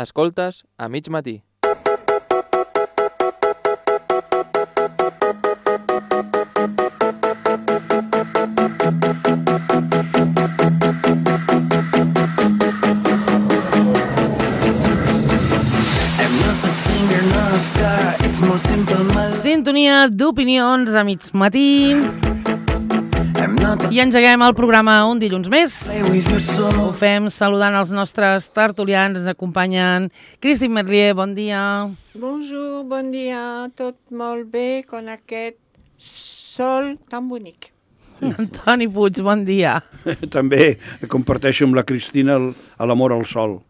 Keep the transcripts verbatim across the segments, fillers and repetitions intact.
Escoltes a mig matí. Sintonia d'opinions a mig matí. I engeguem el programa un dilluns més. Ho fem saludant els nostres tertulians. Ens acompanyen Christine Merlier, bon dia. Bonjour, bon dia. Tot molt bé con aquest sol tan bonic. Antoni Puig, bon dia. També comparteixo amb la Cristina l'amor al sol,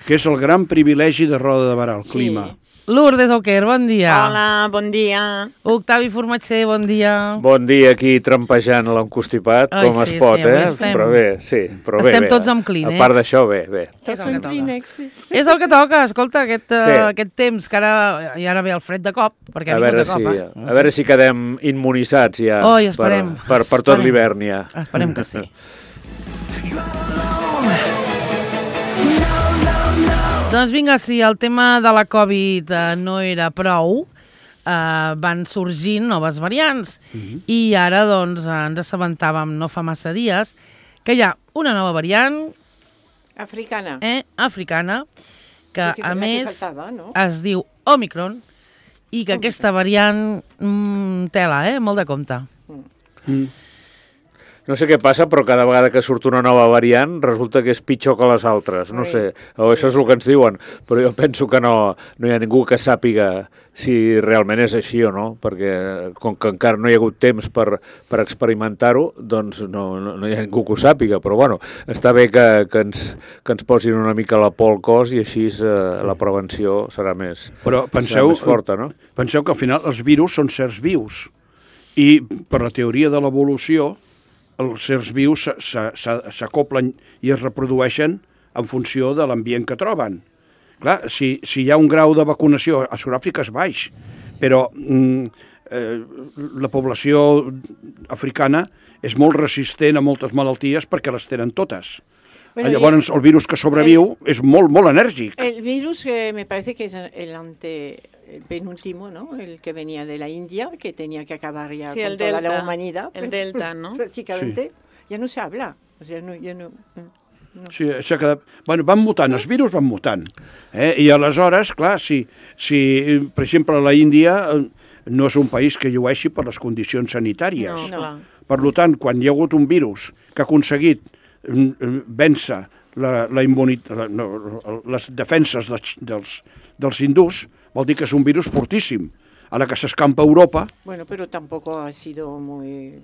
que és el gran privilegi de Roda de Barà, el Sí. clima. Lourdes Auquer, bon dia. Hola, bon dia. Octavi Formatger, bon dia. Bon dia aquí trampejant l'encostipat, Ai, com sí, es pot, sí, avui eh? estem- Però bé, sí, però bé. estem bé. tots amb clínex. A part d'això, bé, bé. Tots el que en toca. Kleenex, sí. És el que toca, escolta, aquest, uh, Sí. aquest temps, que ara, i ara ve el fred de cop, perquè ha A vingut veure, de cop, si, eh? a veure si quedem immunitzats ja Oi, esperem. per, per, per tot Esperem. l'hivern ja. Esperem que sí. Doncs vinga, si el tema de la Covid eh, no era prou, eh, van sorgint noves variants. Mhm. I ara doncs, eh, ens assabentàvem no fa massa dies que hi ha una nova variant Africana. eh, africana que, Sí, que a la que més, faltava, no? es diu Omicron i que aquesta variant mm, tela, eh? Molt de compte. Mm. No sé què passa, però cada vegada que surt una nova variant resulta que és pitjor que les altres. No Ai. sé, o això és el que ens diuen, però jo penso que no, no hi ha ningú que sàpiga si realment és així o no, perquè com que encara no hi ha hagut temps per, per experimentar-ho, doncs no, no, no hi ha ningú que ho sàpiga, però bueno, està bé que, que, ens, que ens posin una mica la por al cos i així eh, la prevenció serà més, Però serà penseu, més forta, no? penseu que al final els virus són certs vius i per la teoria de l'evolució els certs vius se- se- se- s'acoplen i es reprodueixen en funció de l'ambient que troben. Clar, si, si hi ha un grau de vacunació, a Sud-àfrica és baix, però mm, eh, la població africana és molt resistent a moltes malalties perquè les tenen totes. Bueno, Llavors, el virus que sobreviu és molt, molt enèrgic. El virus eh, me parece que es el ante el penúltimo, ¿no? El que venía de la India, que tenía que acabar ya Sí, con el toda la delta, humanidad. el delta, ¿no? Prácticamente ya no se habla. O sea, no, ya no, no. Sí, s'ha quedat... Bueno, van mutant, els virus van mutant. Eh? I aleshores, clar, si, si, per exemple, la Índia eh, no és un país que llueixi per les condicions sanitàries. No, clar. Per tant, quan hi ha hagut un virus que ha aconseguit mm, vèncer la, la immunitat, la, no, les defenses dels, dels, dels hindús, vol dir que és un virus fortíssim. A la que s'escampa a Europa, Bueno, pero tampoco ha sido muy...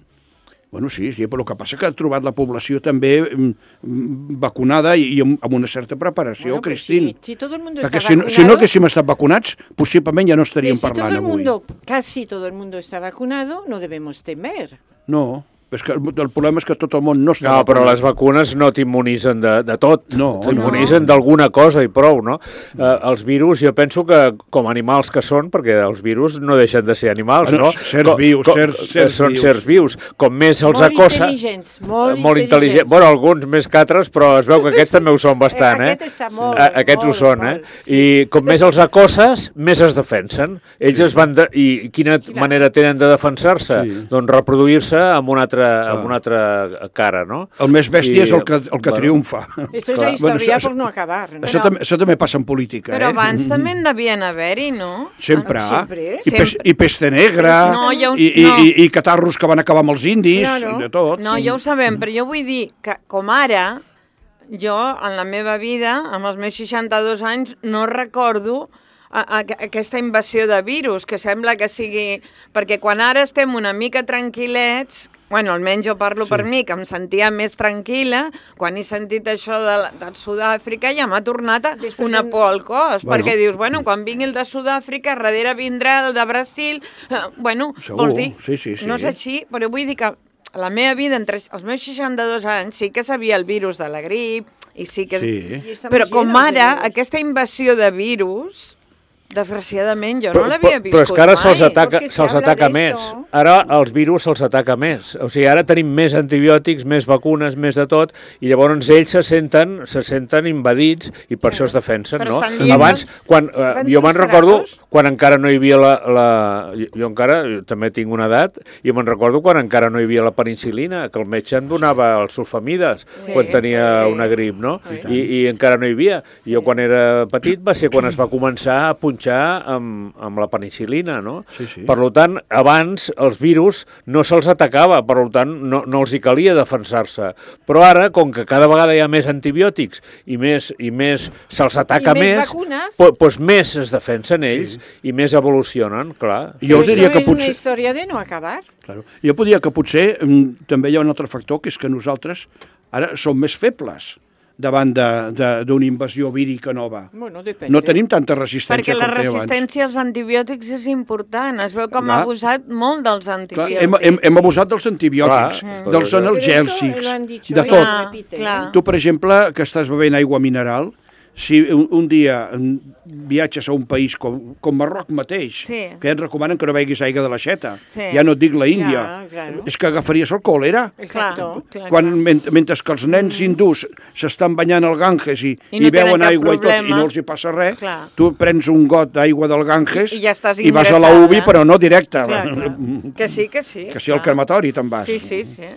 bueno, sí, sí, però el que passa que ha trobat la població també mm, vacunada i, i amb, amb una certa preparació, Bueno, pues Cristín. si, si todo el mundo Perquè está si no, vacunado... si no haguéssim estat vacunats, possiblement ja no estaríem si todo parlant el avui. mundo, casi todo el mundo está vacunado, no debemos temer. No, és que el, el problema és que tot el món no està No, però vacunat. les vacunes no t'immunitzen de, de tot, No, t'immunitzen no. d'alguna cosa i prou, no? Eh, els virus, jo penso que com a animals que són, perquè els virus no deixen de ser animals, Bueno, no? certs Com- vius, com- certs- eh, certs són vius. certs vius. Com més els Molt acossa... intel·ligents, molt, molt intel·ligents. Bueno, alguns més que altres, però es veu que aquests també ho són bastant, eh? Aquest està molt, A- Aquests ho molt, són, molt, eh? sí. I com més els acosses, més es defensen. Ells es van... De... I quina Clar. manera tenen de defensar-se? Sí. Doncs reproduir-se amb una altra, amb una altra cara, no? El més bèstia I, és el que, el que bueno, triomfa. Esto es Clar. la historia Bueno, això- por no acabar. ¿no? Això, també, això també passa en política, Però eh? abans també en devien haver-hi, no? Sempre. Sempre. I, pes, I peste negra, No, ja ho- i, i, no. i, i catarros que van acabar amb els indis, Claro. i de tot. No, ja ho sabem, però jo vull dir que, com ara, jo, en la meva vida, amb els meus seixanta-dos anys, no recordo a, a, aquesta invasió de virus, que sembla que sigui... Perquè quan ara estem una mica tranquil·lets, bueno, almenys jo parlo Sí. per mi, que em sentia més tranquil·la, quan he sentit això de, la- de Sud-àfrica ja m'ha tornat a Després una de- por al cos, Bueno. perquè dius, bueno, quan vingui el de Sud-àfrica, darrere vindrà el de Brasil, eh, bueno, Segur, vols dir, sí, sí, sí. no és així, però vull dir que la meva vida, entre els meus seixanta-dos anys, sí que sabia el virus de la grip, i sí que... Sí. Y estamos Però com llenos de ara, virus. aquesta invasió de virus, Desgraciadament, jo però, no l'havia viscut Però és que ara mai. se'ls ataca, Porque se se'ls habla ataca de més. eso. Ara els virus se'ls ataca més. O sigui, ara tenim més antibiòtics, més vacunes, més de tot, i llavors ells se senten, se senten invadits i per això es defensen, Però no? estan dient Abans, quan, eh, Van jo me'n frustrados. recordo quan encara no hi havia la... la jo, jo encara jo també tinc una edat, i me'n recordo quan encara no hi havia la penicil·lina, que el metge em donava els sulfamides Sí, quan tenia sí. una grip, no? Sí. I, I encara no hi havia. I jo quan era petit va ser quan es va començar a punxar amb, amb la penicil·lina, no? Sí, sí. Per tant, abans els virus no se'ls atacava, per tant, no, no els hi calia defensar-se. Però ara, com que cada vegada hi ha més antibiòtics i més, i més se'ls ataca I més més, vacunes. po, doncs més es defensen ells sí. i més evolucionen, clar. Jo us Pero diria esto que es una potser... historia de no acabar. Claro. Jo podria que potser mm, també hi ha un altre factor, que és que nosaltres ara som més febles davant d'una invasió vírica nova. Bueno, depende. No tenim tanta resistència Perquè la com té abans. resistència als antibiòtics és important. Es veu com Clar. ha abusat molt dels Clar, antibiòtics. hem, hem, hem abusat dels antibiòtics, Clar. dels Però Pero eso analgèsics, lo han dicho de y tot. lo repiten. Clar. Tu, per exemple, que estàs bevent aigua mineral, si un, un dia viatges a un país com, com Marroc mateix, Sí. que ens recomanen que no beguis aigua de l'aixeta, Sí. ja no et dic la Índia, Ja, claro. és que agafaries el còlera. Exacto. Clar, Quan, clar. ment mentre que els nens hindús s'estan banyant al Ganges i, I no i beuen tenen cap aigua i tot, i problema. no els hi passa res, Clar. tu prens un got d'aigua del Ganges I- i ja estàs i vas a la ingressada. U B I, però no directe. Clar, clar. Que sí, que sí. Que si al clar. crematori te'n vas. Sí, sí, sí.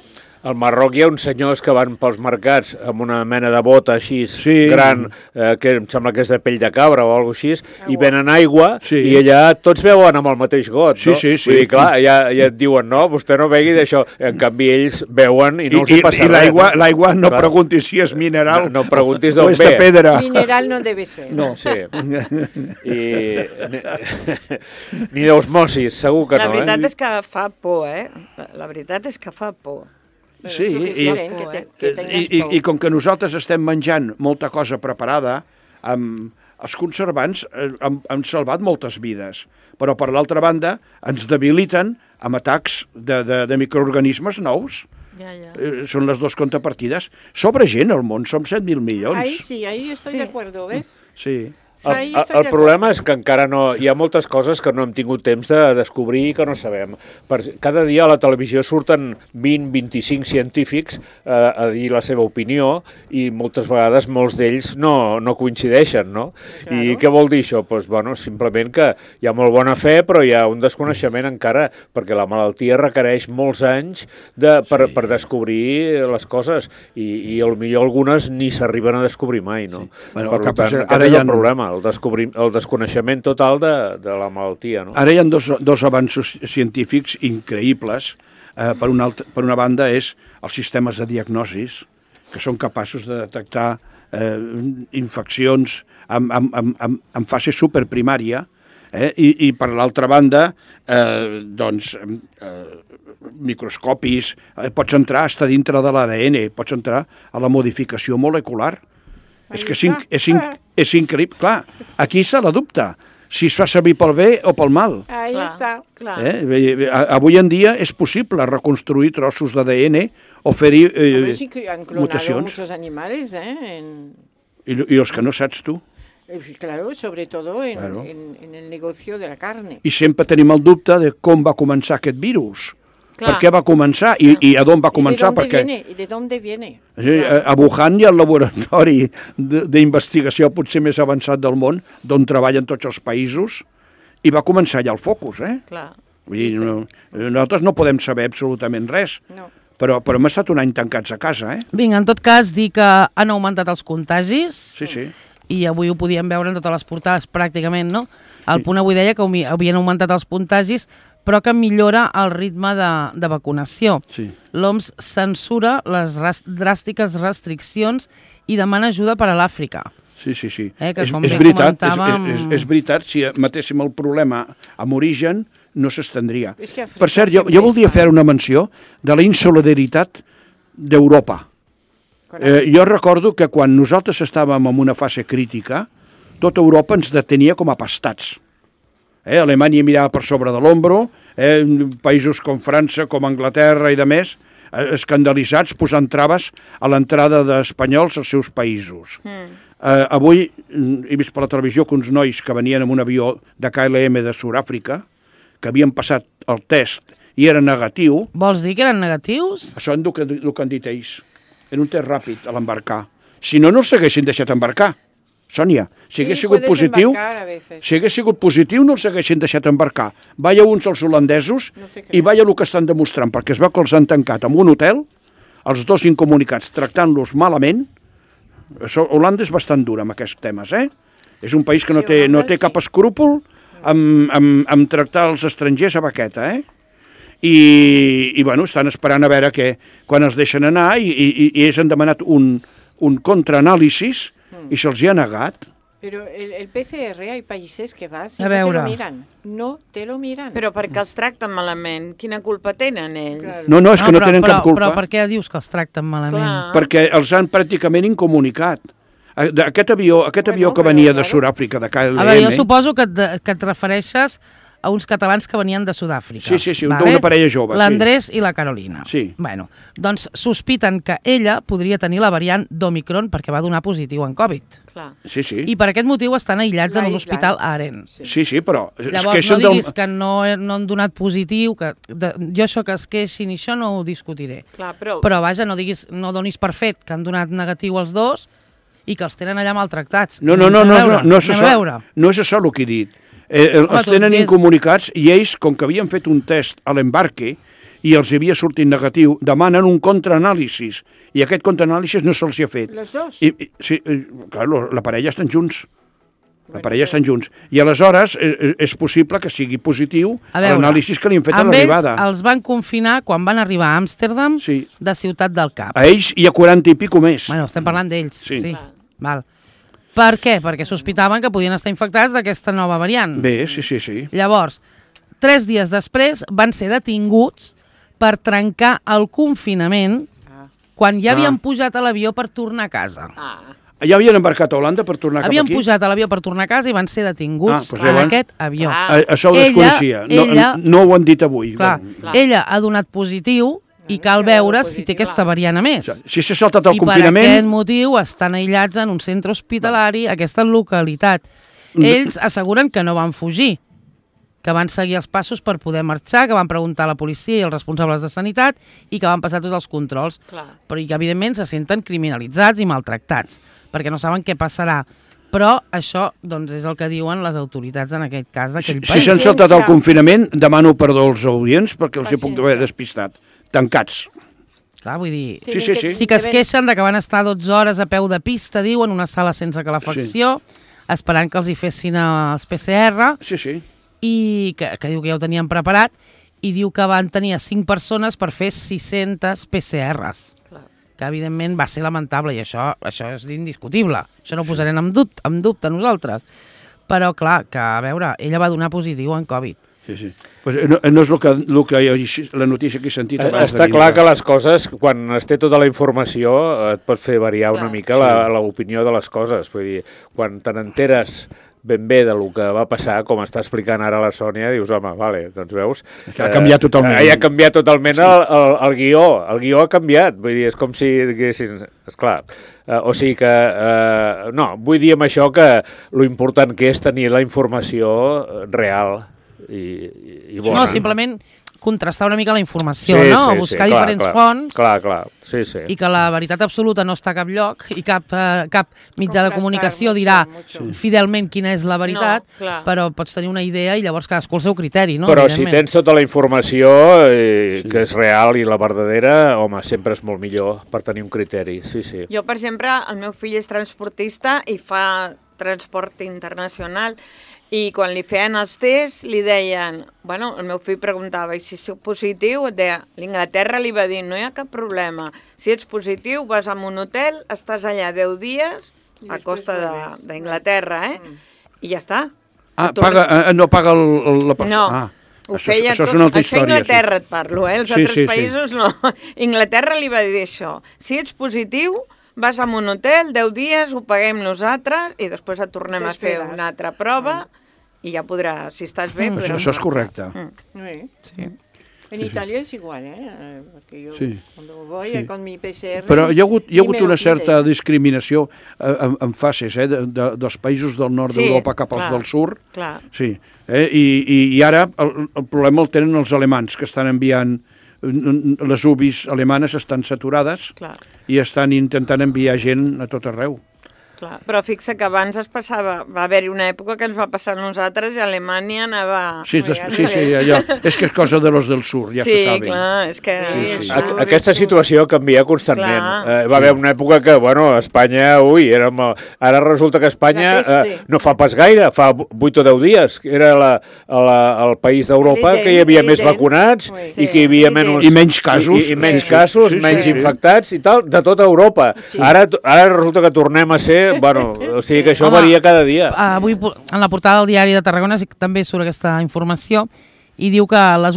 Al Marroc hi ha uns senyors que van pels mercats amb una mena de bota així Sí. gran, eh, que em sembla que és de pell de cabra o alguna així, i venen aigua Sí. i allà tots beuen amb el mateix got, Sí, no? sí, sí. Vull dir, clar, ja, ja et diuen, no, vostè no begui d'això. En canvi, ells beuen i no els hi I, passa i res. l'aigua l'aigua no Clar. preguntis si és mineral No, no preguntis o d'on és de ve. pedra. Mineral no debe ser. No. Sí. I... Ni d'osmosis, segur que La no, veritat eh? és que fa por, eh? La, la veritat és que fa por. Pero Sí, eso que i, quieren, que te- que tengas i, i, por. i com que nosaltres estem menjant molta cosa preparada, amb els conservants eh, han, han salvat moltes vides, però per l'altra banda ens debiliten amb atacs de, de, de microorganismes nous. Ja, ja. Eh, són les dues contrapartides. Sobre gent al món, som set mil milions. Ahí sí, ahí estoy Sí. de acuerdo, ¿ves? Sí. Ahí El, el, estoy el de problema acuerdo. és que encara no... Hi ha moltes coses que no hem tingut temps de descobrir i que no sabem. Per, cada dia a la televisió surten vint, vint-i-cinc científics eh, a dir la seva opinió i moltes vegades molts d'ells no, no coincideixen, no? Claro. I què vol dir això? Pues, bueno, simplement que hi ha molt bona fe, però hi ha un desconeixement encara, perquè la malaltia requereix molts anys de, per, Sí. per descobrir les coses i, i potser algunes ni s'arriben a descobrir mai, no? Sí. Bueno, per el que tant, passa- aquest ara és hi ha- el problema, el, descobrir, el desconeixement total de, de la malaltia, no? Ara hi ha dos, dos avanços científics increïbles. Eh, per, una altra, per una banda és els sistemes de diagnosis, que són capaços de detectar eh, infeccions en, en, en, en, en fase superprimària, eh, i, i per l'altra banda, eh, doncs, eh, microscopis, eh, pots entrar, està dintre de l'A D N, pots entrar a la modificació molecular. És que és, inc és, inc és increïble. Clar, aquí s'ha la dubte, si es fa servir pel bé o pel mal. Ahí Clar, está. clar. Eh? Avui en dia és possible reconstruir trossos d'A D N o fer-hi eh, Hombre, sí que han clonado mutacions. muchos animales, ¿eh? En- I, I els que no saps tu. eh, claro, sobre todo en, Claro. en, en el negocio de la carne. I sempre tenim el dubte de com va començar aquest virus. Clar. Per què va començar i, i a d'on va ¿Y de començar? dónde Perquè viene? ¿Y de dónde viene? eh, a Wuhan hi ha el laboratori de- d'investigació potser més avançat del món, d'on treballen tots els països, i va començar allà el focus, eh? Clar. Vull dir, no, nosaltres no podem saber absolutament res, No. però, però hem estat un any tancats a casa, eh? Vinga, en tot cas, dir que han augmentat els contagis Sí, sí. i avui ho podíem veure en totes les portades pràcticament, no? El Punt avui deia que havi- havien augmentat els contagis, però que millora el ritme de, de vacunació. Sí. L'O M S censura les ras- dràstiques restriccions i demana ajuda per a l'Àfrica. Sí, sí, sí. Eh, que és, com és, bé veritat, és, comentàvem- és, és veritat, si matéssim el problema amb origen, no s'estendria. És que Àfrica Per cert, jo, sempre jo voldria està- fer una menció de la insolidaritat d'Europa. Con Eh, jo recordo que quan nosaltres estàvem en una fase crítica, tota Europa ens detenia com a pastats. Eh, Alemanya mirava per sobre de l'ombro, eh, països com França, com Anglaterra i de més, eh, escandalitzats posant traves a l'entrada d'espanyols als seus països. Mm. Eh, avui he vist per la televisió que uns nois que venien amb un avió de K L M de Sud-àfrica, que havien passat el test i era negatiu. Vols dir que eren negatius? Això és el que, el que han dit ells. Era un test ràpid a l'embarcar. Si no, no els haguessin deixat embarcar. Sònia, si hagués Sí, sigut puedes positiu, embarcar a veces. si hagués sigut positiu no els haguessin deixat embarcar. Vaya uns als holandesos No te crec. i vaya el que estan demostrant, perquè es veu que els han tancat en un hotel, els dos incomunicats tractant-los malament. Això, Holanda és bastant dura amb aquests temes, eh? És un país que no Sí, té, no Holanda té sí. cap escrúpol amb, amb, amb tractar els estrangers a baqueta, eh? I, i bueno, estan esperant a veure que quan els deixen anar i, i, i ells han demanat un, un contraanàlisis i se'ls hi ha negat. Pero el, el P C R hay países que vas y A no te veure. lo miran. No te lo miran. Però perquè els tracten malament, quina culpa tenen ells? Claro. No, no, és que no, però, tenen però, cap culpa. Però per què dius que els tracten malament? Clar. Perquè els han pràcticament incomunicat. Aquest avió, aquest Bueno, avió que però, venia de claro. Sud-àfrica, de K L M... A veure, jo suposo que et, de- que et refereixes a uns catalans que venien de Sud-àfrica. Sí, sí, sí, d'una parella jove, sí. L'Andrés i la Carolina. Sí. Bueno, doncs sospiten que ella podria tenir la variant d'Omicron perquè va donar positiu en Covid. Clar. Sí, sí. I per aquest motiu estan aïllats en L'aïslen. l'hospital Aren. Sí. Sí, sí, però... es Llavors, no queixen del- diguis que no, no han donat positiu, que de, jo això que es queixin i això no ho discutiré. Clar, però... Però vaja, no diguis, no donis per fet que han donat negatiu els dos i que els tenen allà maltractats. No, no, no, Anem no, a veure, no, no, és anem a això, veure. no és això el que he dit. Eh, el- Home, els tu tenen dius- incomunicats i ells, com que havien fet un test a l'embarque i els havia sortit negatiu, demanen un contraanàlisis i aquest contraanàlisis no se'ls hi ha fet. Los dos. I, i, sí, eh, clar, lo- la parella estan junts. La parella estan junts. I aleshores eh, és possible que sigui positiu A veure, l'anàlisis que li han fet a amb l'arribada. ells els van confinar quan van arribar a Amsterdam Sí. de Ciutat del Cap. A ells hi ha quaranta i pico més. Bueno, estem parlant d'ells. Sí. Sí. Val. Per què? Perquè sospitaven que podien estar infectats d'aquesta nova variant. Bé, sí, sí, sí. Llavors, tres dies després van ser detinguts per trencar el confinament Ah. quan ja havien Ah. pujat a l'avió per tornar a casa. Ah, Ja havien embarcat a Holanda per tornar Havien cap aquí? pujat a l'avió per tornar a casa i van ser Ah, detinguts doncs en llavors- aquest avió. Ah. A, això ho Ella- desconeixia. No, ella- no ho han dit avui. Clar, Bueno, Clar. ella ha donat positiu i Ah, cal que ha donat veure si té positiu, aquesta clar. variant a més. si s'ha saltat el I per confinament... aquest motiu estan aïllats en un centre hospitalari, aquesta localitat. Ells asseguren que no van fugir, que van seguir els passos per poder marxar, que van preguntar a la policia i als responsables de sanitat i que van passar tots els controls. clar. Però i que, evidentment, se senten criminalitzats i maltractats, perquè no saben què passarà. Però això doncs, és el que diuen les autoritats en aquest cas Si, d'aquell si país. s'han saltat el Paciència. confinament, demano perdó als audients perquè els hi puc Paciència. haver despistat. Tancats. Clar, vull dir, Sí, sí, sí. sí que es queixen de que van estar dotze hores a peu de pista, diuen, una sala sense calefacció, esperant que els hi fessin els P C R, Sí, sí. i que, que diu que ja ho tenien preparat, i diu que van tenir a cinc persones per fer sis-centes P C Rs, Clar. que evidentment va ser lamentable, i això, això és indiscutible. Això no ho posarem en dubte, en dubte nosaltres. Però, clar, que a veure, ella va donar positiu en Covid. Sí, sí. Pues no, no és el que, el que la notícia que he sentit abans Està de clar que dir-la. les coses, quan es té tota la informació, et pot fer variar una Clar. mica la- l'opinió de les coses. Vull dir, quan te n'enteres ben bé del que va passar, com està explicant ara la Sònia, dius, home, vale, doncs veus... Que ha canviat totalment. Eh, ha canviat totalment sí. el, el, el guió. El guió ha canviat. Vull dir, és com si diguessin... Esclar, eh, o sigui que... Eh, no, vull dir amb això que lo important que és tenir la informació real i, i, i bona. No, simplement contrastar una mica la informació, Sí, no? sí, Buscar sí, clar, diferents clar, fonts Clar, clar, sí, sí. i que la veritat absoluta no està a cap lloc i cap, eh, cap mitjà de Contrastar comunicació mucho, dirà mucho. fidelment quina és la veritat, No, clar. però pots tenir una idea i llavors cadascú el seu criteri, no? Però si Evidentment. tens tota la informació eh, que és real i la verdadera, home, sempre és molt millor per tenir un criteri, sí, sí. Jo, per exemple, el meu fill és transportista i fa transport internacional i quan li feien els tests li deien, bueno, el meu fill preguntava i si sóc positiu, et deia, l'Inglaterra li va dir, no hi ha cap problema, si ets positiu vas a un hotel, estàs allà deu dies I a després costa de- vuelves. d'Inglaterra, eh? Mm. I ja està. Ah, Et torna- paga, eh, no paga el, el, la persona. No, Ah, ho això, feia això és tot. una altra Això història. Inglaterra et parlo, eh? Els Sí, altres sí, sí. països no. Inglaterra li va dir això. Si ets positiu, vas a un hotel, deu dies, ho paguem nosaltres i després et tornem a fer T'esperes. una altra prova i ja podràs, si estàs bé, Mm. podràs Això, això és marxar. correcte. Mm. Sí. Sí. En Italia es igual, ¿eh? Porque yo Sí. cuando voy Sí. con mi P C R... Però hi ha hagut, hi ha ni me hagut lo una certa piden. discriminació eh, en, en fases eh, de, de, dels països del nord Sí, d'Europa cap als clar, del sud. clar. Sí, eh? I, i, i ara el, el problema el tenen els alemans, que estan enviant... Les U B Is alemanes estan saturades Clar. i estan intentant enviar gent a tot arreu. Clar, però fixa que abans es passava, va haver-hi una època que ens va passar a nosaltres i Alemanya anava... Sí, des, sí, sí, allò. És que és cosa de los del sur, ja sí, se sabe. clar, és que... Sí, sí. el A- sur, Aquesta el sur. situació canvia constantment. Clar. Eh, va haver una època que, bueno, Espanya, ui, érem, el- ara resulta que Espanya La peste. eh, no fa pas gaire, fa vuit o deu dies, que era la, la, el país d'Europa L'Iden, que hi havia més l'Iden. vacunats Sí. i que hi havia L'Iden. menys... I menys casos. I, i menys Sí. casos, Sí, sí, menys sí. infectats i tal, de tota Europa. Sí. Ara, ara resulta que tornem a ser... Bueno, o sigui que això Home, varia cada dia. Avui en la portada del diari de Tarragona sí que també surt aquesta informació i diu que les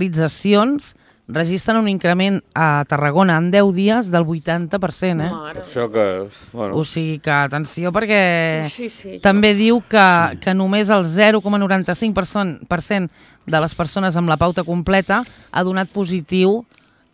hospitalitzacions registren un increment a Tarragona en deu dies del vuitanta per cent, eh? Mare. Això que... Bueno, O sigui que, atenció, perquè Sí, sí. també diu que, que només el zero coma noranta-cinc per cent de les persones amb la pauta completa ha donat positiu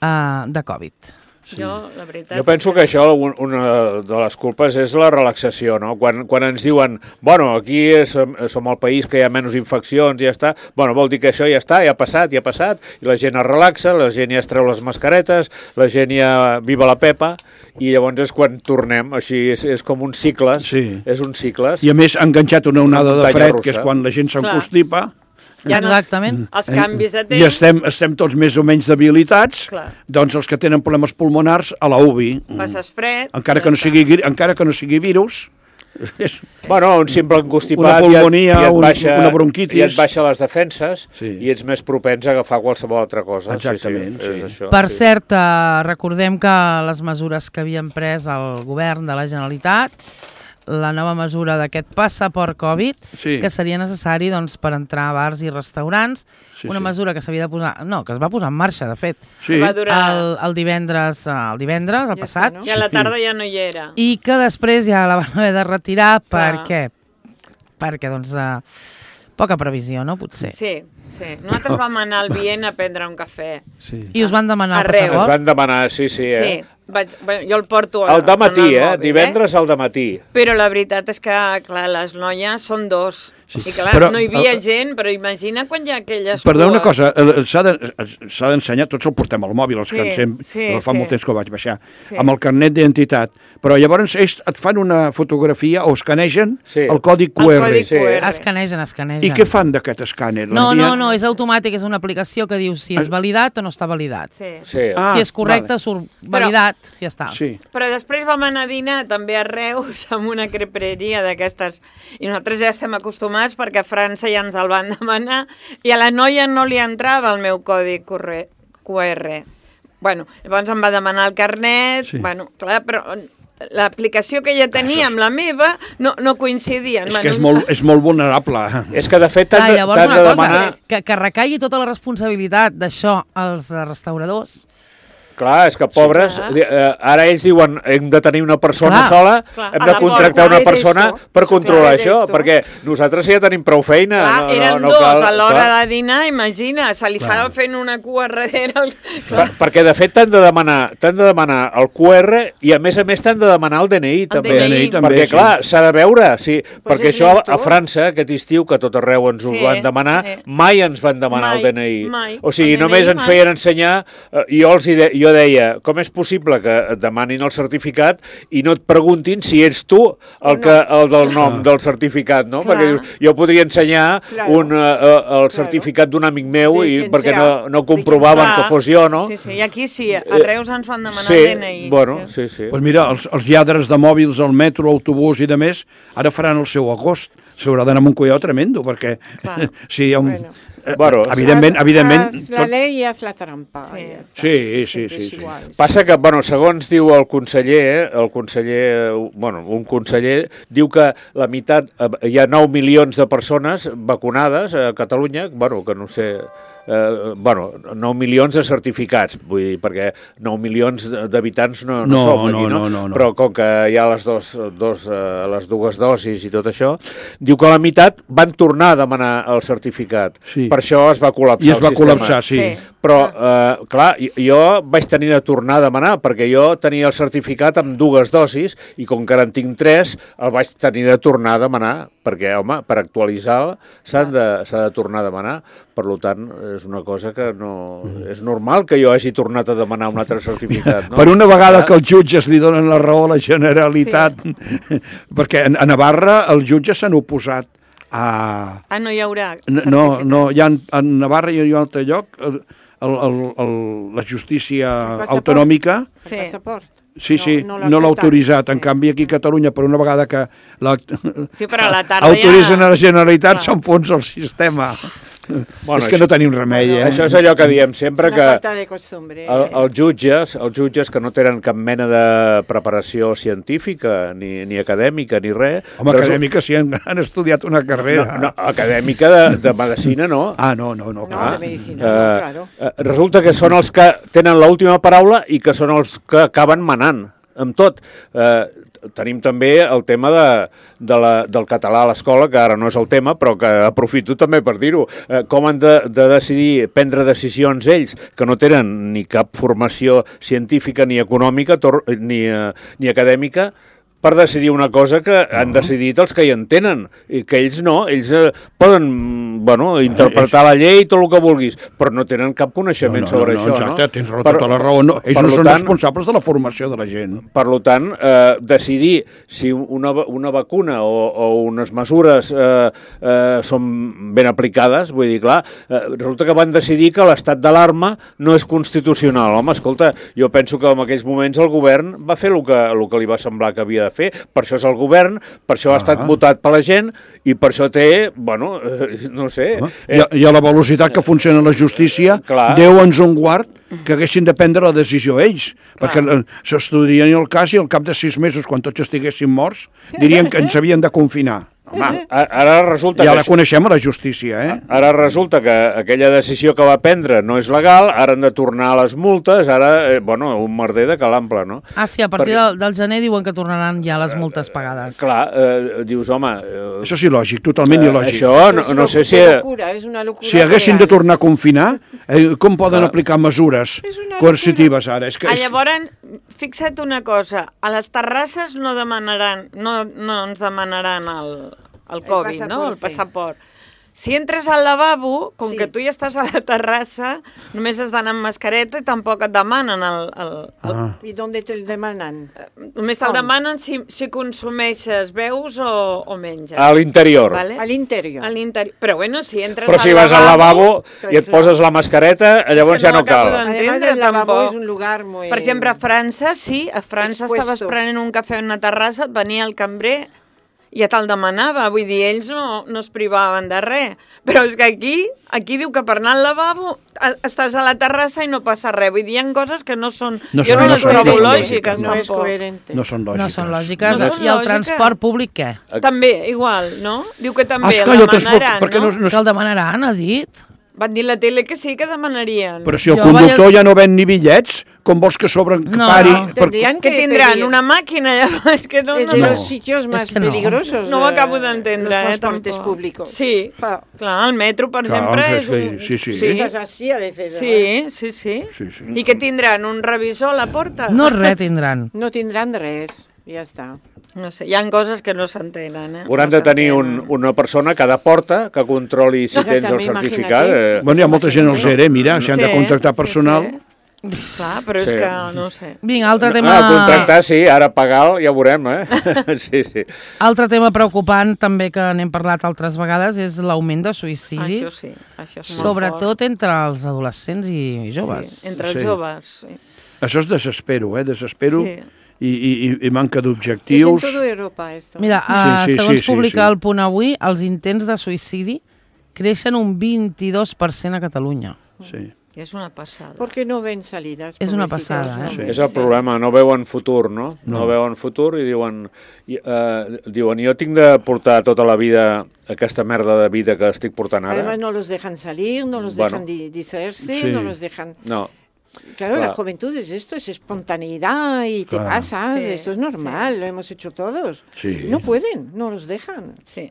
eh, de Covid. Jo, la veritat... Jo penso que això, un- una de les culpes és la relaxació, no? Quan, quan ens diuen, bueno, aquí som, som el país que hi ha menys infeccions i ja està, bueno, vol dir que això ja està, ja ha passat, ja ha passat, i la gent es relaxa, la gent ja es treu les mascaretes, la gent ja viva la pepa, i llavors és quan tornem, així és, és com un cicle, Sí. és un cicle. I a més ha enganxat una onada de muntanya fred, russa. que és quan la gent s'encostipa, Ja no- Exactament. Els canvis de temps... i estem, estem tots més o menys debilitats, Clar. doncs els que tenen problemes pulmonars a la U B I. Passes fred... Encara ja que no està. sigui, gri- encara que no sigui virus, és, Bueno, un simple encostipat Una pulmonia, i et, i et un- baixa, una bronquitis. i et baixa les defenses Sí. i ets més propens a agafar qualsevol altra cosa. Exactament, sí, sí, és sí. això, Per sí. cert, eh, recordem que les mesures que havien pres el govern de la Generalitat, la nova mesura d'aquest passaport Covid, Sí. que seria necessari doncs, per entrar a bars i restaurants, Sí, una sí. mesura que s'havia de posar... No, que es va posar en marxa, de fet, sí. Va durar... el, el divendres, eh, el divendres, el Ja passat, està, no? I a la tarda ja no hi era. i que després ja la van haver de retirar. Clar. Per què? Perquè, doncs, eh, poca previsió, no? Potser. Sí, sí. Nosaltres vam anar al Viena a prendre un cafè. Sí. I us van demanar el Arreu. Es passaport? van demanar, sí, sí, eh? Sí. Vaig, bueno, jo el porto a, Al dematí, en el eh? mòbil, Divendres al dematí. Però la veritat és que, clar, les noies són dos. Sí. I clar, Però, no hi havia el- gent, però imagina quan hi ha aquelles Perdó, una cues. cosa, eh, s'ha de- s'ha d'ensenyar, tots el portem al mòbil, els Sí, que ens hem, sí, jo fa sí. molt temps que ho vaig baixar, Sí. amb el carnet d'identitat, però llavors ells et fan una fotografia o escanegen Sí. el codi Q El R. codi Sí. Q R. Escanegen, escanegen. I què fan d'aquest escàner? No, L'envien? no, no, és automàtic, és una aplicació que diu si és validat o no està validat. Sí. Sí. Ah, si és correcte, vale. surt validat, ja està. Sí. Però després vam anar a dinar també a Reus amb una creperia d'aquestes. I nosaltres ja estem acostumats perquè a França ja ens el van demanar i a la noia no li entrava el meu codi Q R. Bueno, llavors em va demanar el carnet, Sí. bueno, clar, però l'aplicació que ja tenia amb la meva no, no coincidien. És que és molt, és molt vulnerable. És que, de fet, t'han Ah, de, llavors t'han una de cosa, demanar... que, que recaigui tota la responsabilitat d'això als eh, restauradors. Clar, és que pobres, clar. sí, eh, ara ells diuen hem de tenir una persona Clar. sola, Clar, hem a de la contractar porta. una persona Claro, per esto. controlar Claro, això, esto. perquè nosaltres ja tenim prou feina. Clar, no, eren no, no dos cal, a l'hora clar. de dinar, imagina, se li estava fent una cua darrere. El... Per, perquè, de fet, t'han de demanar t'han de demanar el Q R i, a més a més, t'han de demanar el D N I, també. D N I també, perquè, sí. clar, s'ha de veure, sí, perquè és això a virtual. França, aquest estiu, que a tot arreu ens ho Sí, van demanar, sí. mai ens van demanar Mai, el D N I. mai. O sigui, El D N I només ens mai. feien ensenyar, eh, jo, els hi de, jo deia, com és possible que et demanin el certificat i no et preguntin si ets tu el, que, el del nom del certificat, no? Clar. Perquè dius, jo podria ensenyar Claro. un, uh, el certificat d'un amic meu De i quien perquè sea. no, no De quien comprovaven Clar. que fos jo, no? Sí, sí, i aquí sí, a Eh, Reus ens van demanar sí, el D N I. bueno, sí, sí. Pues mira, els, els lladres de mòbils al metro, autobús i de més, ara faran el seu agost. S'haurà d'anar amb un collau tremendo, perquè Clar. sí, hi ha un... Bueno. eh, Bueno, evidentment, Haz- evidentment... haz la ley y haz la trampa. Sí. ya está. Sí, sí, Siempre sí, es sí. igual. Passa que, bueno, segons diu el conseller, eh, el conseller, eh, bueno, un conseller, diu que la meitat, eh, hi ha nou milions de persones vacunades a Catalunya, bueno, que no sé, eh, bueno, nou milions de certificats, vull dir, perquè nou milions d'habitants no, no, No, som aquí, no, no? no, no, no. Però com que hi ha les, dos, dos, eh, les dues dosis i tot això, diu que la meitat van tornar a demanar el certificat. Sí. per això es va col·lapsar I es el va sistema. col·lapsar, sí. Sí. Però, eh, clar, jo vaig tenir de tornar a demanar, perquè jo tenia el certificat amb dues dosis, i com que ara en tinc tres, el vaig tenir de tornar a demanar, perquè, home, per actualitzar s'ha de, s'ha de tornar a demanar. Per tant, és una cosa que no... És normal que jo hagi tornat a demanar un altre certificat, no? Per una vegada que els jutges li donen la raó a la Generalitat, sí. Perquè a Navarra els jutges s'han oposat a... Ah, no hi haurà No, no, hi ha, a Navarra i a un altre lloc, el, el, el, la justícia autonòmica... Sí. El passaport. Sí, sí, no, no l'ha autoritzat. En sí. canvi, aquí a Catalunya, per una vegada que la, Sí, però a la tarda autoritzen ja... a la Generalitat, s'enfonsa el sistema. Bueno, és que no tenim remei, eh? Això és allò que diem sempre, És una que falta de costumbre. el, els jutges, els jutges que no tenen cap mena de preparació científica, ni, ni acadèmica, ni res... Home, resu- acadèmica sí, han, han estudiat una carrera. No, no, acadèmica de, de medicina, no. Ah, no, no, no. No, clar. de medicina, Eh, no, claro. eh, resulta que són els que tenen l'última paraula i que són els que acaben manant amb tot. Eh, tenim també el tema de, de la, del català a l'escola, que ara no és el tema, però que aprofito també per dir-ho. Eh, com han de, de decidir, prendre decisions ells, que no tenen ni cap formació científica ni econòmica tor, ni, eh, ni acadèmica, per decidir una cosa que han decidit els que hi entenen, i que ells no, ells eh, poden, bueno, interpretar la llei i tot el que vulguis, però no tenen cap coneixement no, no, sobre no, això, exacte, no? tens raó, tota la raó. No, ells per no són tant, responsables de la formació de la gent. Per tant, eh, decidir si una, una vacuna o, o unes mesures eh, eh, són ben aplicades, vull dir, clar, eh, resulta que van decidir que l'estat d'alarma no és constitucional. Home, escolta, jo penso que en aquells moments el govern va fer el que, el que li va semblar que havia de fer, per això és el govern, per això ha estat votat per la gent i per això té, bueno, eh, no sé... I, a, I a la velocitat que funciona la justícia, Clar. Déu ens un guard que haguessin de prendre la decisió ells, perquè eh, s'estudiarien el cas i al cap de sis mesos, quan tots estiguessin morts, dirien que ens havien de confinar. Home, Ara resulta ja que... la coneixem a la justícia, eh? Ara resulta que aquella decisió que va prendre no és legal, ara han de tornar a les multes, ara, eh, bueno, un merder de calample, no? Ah, sí, a partir Perquè- del, del gener diuen que tornaran ja les multes pagades. Clar, eh, dius, home... Eh, Això és il·lògic, totalment eh, il·lògic. això no, no sé si... És una locura, és una locura. Si haguessin de real. tornar a confinar, eh, com poden Clar. aplicar mesures És una coercitives ara? És que, Ah, és... llavors, fixa't una cosa, a les terrasses no demanaran, no, no ens demanaran el, el Covid, no? El passaport. passaport. Si entres al lavabo, com Sí. que tu ja estàs a la terrassa, només has d'anar amb mascareta i tampoc et demanen el... el, el Ah. ¿Y dónde te demanan? Només te'l Com? demanen si, si consumeixes, beus o, o menges. A l'interior. Vale? Al interior. A l'interior. Però bueno, si entres Però si vas al lavabo i et clar. poses la mascareta, llavors que ja no no cal. acabo de- Además, entendre, el lavabo tampoc. es un lugar muy... Per exemple, a França, sí, a França Expuesto. estaves prenent un cafè en una terrassa, et venia el cambrer i ja te'l demanava, vull dir, ells no, no es privaven de res. Però és que aquí, aquí diu que per anar al lavabo a- estàs a la terrassa i no passa res. Vull dir, hi ha coses que no són... No jo són- no no les són- trobo no són lògiques, No es tampoc. coherente. No són lògiques. No són lògiques. No són I el lògiques. transport públic, què? També, igual, no? Diu que Ah, també el esclar, i el transport, demanaran, perquè no, no? no, Que el demanaran, ha dit? Van dir a la tele que sí, que demanarien. Però si el Jo conductor vaig- ja no ven ni bitllets, com vols que sobren que No, pari? no. Per... Tendrían Que tindran pedir- una màquina, ja, és que no... Es no, de no. los sitios más que no. peligrosos. No ho eh, acabo d'entendre, los eh, transportes tampoc. públicos. Sí, Ah. clar, el metro, per Clar, exemple, és és que- un... sí, sí. sí. Estás así a veces. ¿verdad? Sí, sí, sí. Sí, sí. I que tindran un revisor a la porta? No res tindran. No tendrán res. Ya está. No sé, hi ha coses que no s'entenen, eh? Hauran no de tenir un, s'entenen. una persona a cada porta que controli si tens el Exactament, certificat. imagina't. Eh, Bueno, hi ha molta gent als E R E, mira, si han de Sí, contractar sí, personal... sí. Clar, però Sí. és que no sé. Vinga, altre tema... Ah, contractar, sí, ara pagar ja ho veurem, eh? Sí, sí. Altre tema preocupant, també que n'hem parlat altres vegades, és l'augment de suïcidis, Això sí, això és molt sobretot entre els adolescents i fort. joves. Sí, entre els Sí. joves, sí. Això és desespero, eh? Desespero Sí. i, i, i manca Es en d'objectius. toda Europa esto. Mira, Sí, uh, sí, segons sí, sí, publica sí. el Punt Avui, els intents de suïcidi creixen un vint-i-dos per cent a Catalunya. Sí. És una passada. Porque no ven salidas. Es una pobrecitos, pasada, no eh? ven. És el problema, no veuen futur, no? No, No. veuen futur i diuen, i, eh, diuen, jo tinc de portar tota la vida aquesta merda de vida que estic portant ara. Además no los dejan salir, no los Bueno. dejan di- distraerse, Sí. no los dejan... No, Claro, Claro. la juventud es esto, es espontaneidad y te Claro. pasas, Sí, esto es normal, lo hemos hecho todos. Sí. No pueden, no los dejan. Sí.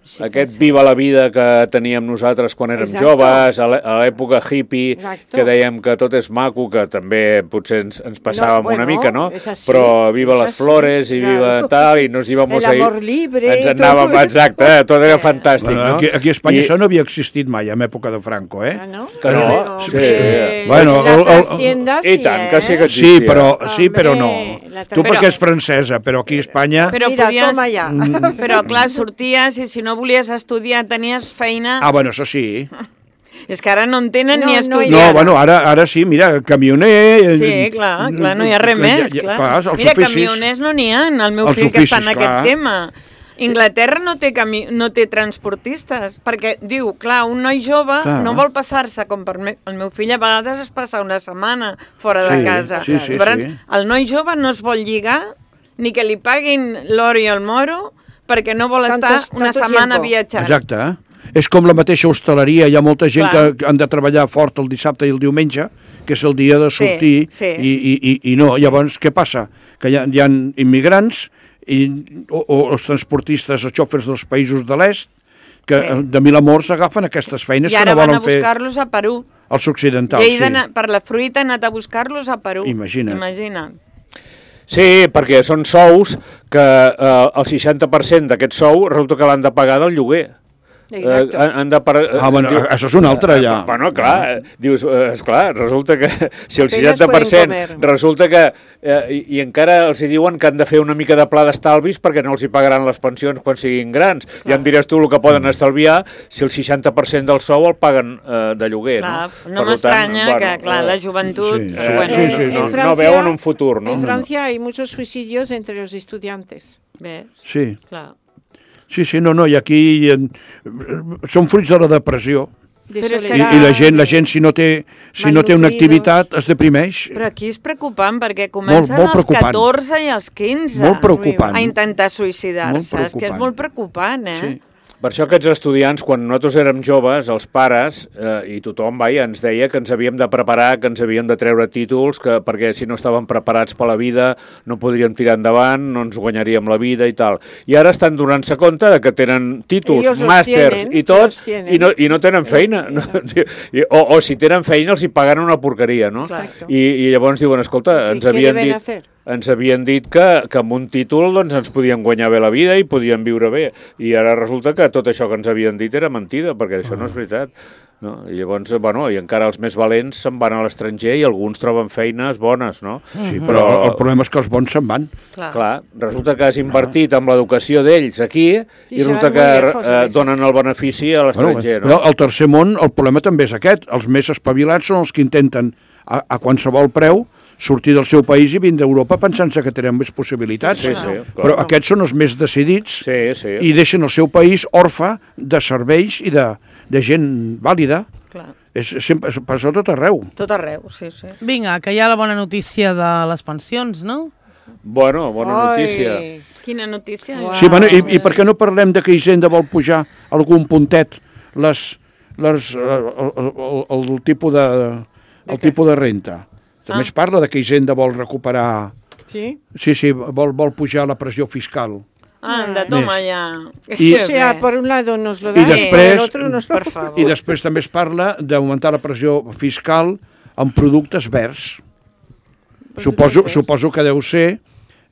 Sí, aquest sí. viva la vida que teníem nosaltres quan érem Exacto. joves, a l'è- a l'època hippie, Exacto. que dèiem que tot és maco, que també potser ens, ens passàvem No, bueno, una mica, no? és així, Però viva és les així, flores i viva claro. tal, i nos íbamos El a ir... amor libre Ens i anàvem, tot. exacte, eh? Tot era fantàstic, Bueno, no? aquí, aquí a Espanya I- això no havia existit mai, en època de Franco, eh? Ah, ¿no? Que no, Pero, sí. hombre, Bueno, las el- el- tiendas I sí, tant, que sí que ¿eh? Sí, existia. però, sí, però no. Hombre, la Tu tra- perquè és francesa, però aquí a Espanya... Però Mira, podies... toma ja. Però clar, sorties i si no volies estudiar tenies feina... Ah, bueno, això sí. És que ara no en tenen No, ni no hi estudiar. No, bueno, ara, ara sí, mira, camioner... Sí, clar, clar, no hi ha res més, clar. clar els Mira, oficis, camioners no n'hi ha, el meu Els fill que està en oficis, aquest clar. tema. Inglaterra no té, cami no té transportistes, perquè diu, clar, un noi jove Clar. no vol passar-se, com per me el meu fill a vegades es passa una setmana fora Sí, de casa. sí, sí, Llavors, sí. el noi jove no es vol lligar ni que li paguin l'or i el moro perquè no vol estar Tantos- una tanto setmana tiempo. viatjant. Exacte, eh? És com la mateixa hostaleria, hi ha molta gent Clar. que han de treballar fort el dissabte i el diumenge, que és el dia de Sí, sortir, sí. I, i, i, i no. Llavors, què passa? Que hi ha, hi ha immigrants i, o, o els transportistes, els xòfers dels països de l'est, que Sí. de mil amors agafen aquestes feines I que ara no van a volen fer buscar-los a Perú. els occidentals. I ell Sí. d'anar- per la fruita ha anat a buscar-los a Perú. Imagina't. Imagina't. Sí, perquè són sous que eh, el seixanta per cent d'aquest sou resulta que l'han de pagar del lloguer. Exacto. Eh, han, han de par... Ah, bueno, això és un altre, ja. Eh, bueno, clar, eh, dius, eh, esclar, resulta que si el Apenas seixanta per cent pueden comer. resulta que, eh, i, i encara els hi diuen que han de fer una mica de pla d'estalvis perquè no els hi pagaran les pensions quan siguin grans. Clar. Ja em diràs tu el que poden estalviar si el seixanta per cent del sou el paguen eh, de lloguer, Clar, no? no Per m'estranya tant, que, clar, eh, la joventut... sí, eh, sí, bueno, sí, sí, En sí. No veuen un futur, no? En No, no. Francia hay muchos suicidios entre los estudiantes. Bé, Sí. clar. Sí, sí, no, no, i aquí eh, són fruits de la depressió. De Pero es que I, soledad, i la gent, la de- gent si no té, si no té una malnutridos. activitat es deprimeix. Però aquí és preocupant perquè comencen molt als preocupant. catorze i als quinze Molt preocupant. a intentar suïcidar-se. Molt És que és preocupant. molt preocupant, eh? Sí. Per això aquests estudiants, quan nosaltres érem joves, els pares eh, i tothom, vaja, ens deia que ens havíem de preparar, que ens havíem de treure títols, que, perquè si no estàvem preparats per la vida no podríem tirar endavant, no ens guanyaríem la vida i tal. I ara estan donant-se compte de que tenen títols, Ellos los màsters tienen, i tot, los tienen. i no, i no tenen feina. No? I, o, o si tenen feina els hi paguen una porqueria, no? Exacto. I, I llavors diuen, escolta, ¿Y ens qué havien deben dit... hacer? Ens havien dit que, que amb un títol doncs, ens podíem guanyar bé la vida i podíem viure bé. I ara resulta que tot això que ens havien dit era mentida, perquè això no és veritat. No? I llavors, bueno, i encara els més valents se'n van a l'estranger i alguns troben feines bones, no? Sí, però el problema és que els bons se'n van. Clar. Clar, resulta que has invertit amb l'educació d'ells aquí i I resulta seran que molt lejos, eh, a veces. donen el benefici a l'estranger, Bueno, no? al tercer món el problema també és aquest. Els més espavilats són els que intenten a, a qualsevol preu sortir del seu país i vindre a Europa pensant-se que tenen més possibilitats. Sí, sí, clar. Però aquests són els més decidits Sí, sí. i deixen el seu país orfe de serveis i de, de gent vàlida. Clar. És, sempre, és, passa a tot arreu. Tot arreu, sí, sí. Vinga, que hi ha la bona notícia de les pensions, no? Bueno, bona notícia. Ai, Quina notícia? Uau. Sí, bueno, i, i per què no parlem de que Hisenda vol pujar algun puntet les, les, el, el, el, el, tipus de, el tipus de renta? També Ah. es parla de que Hisenda vol recuperar... ¿sí? Sí, sí, vol, vol pujar la pressió fiscal. Anda, toma Més. ja. I- O sea, por un lado nos lo I dan, por després- el otro nos lo... Per favor. I després també es parla d'augmentar la pressió fiscal en productes verds. Suposo, verds. suposo que deu ser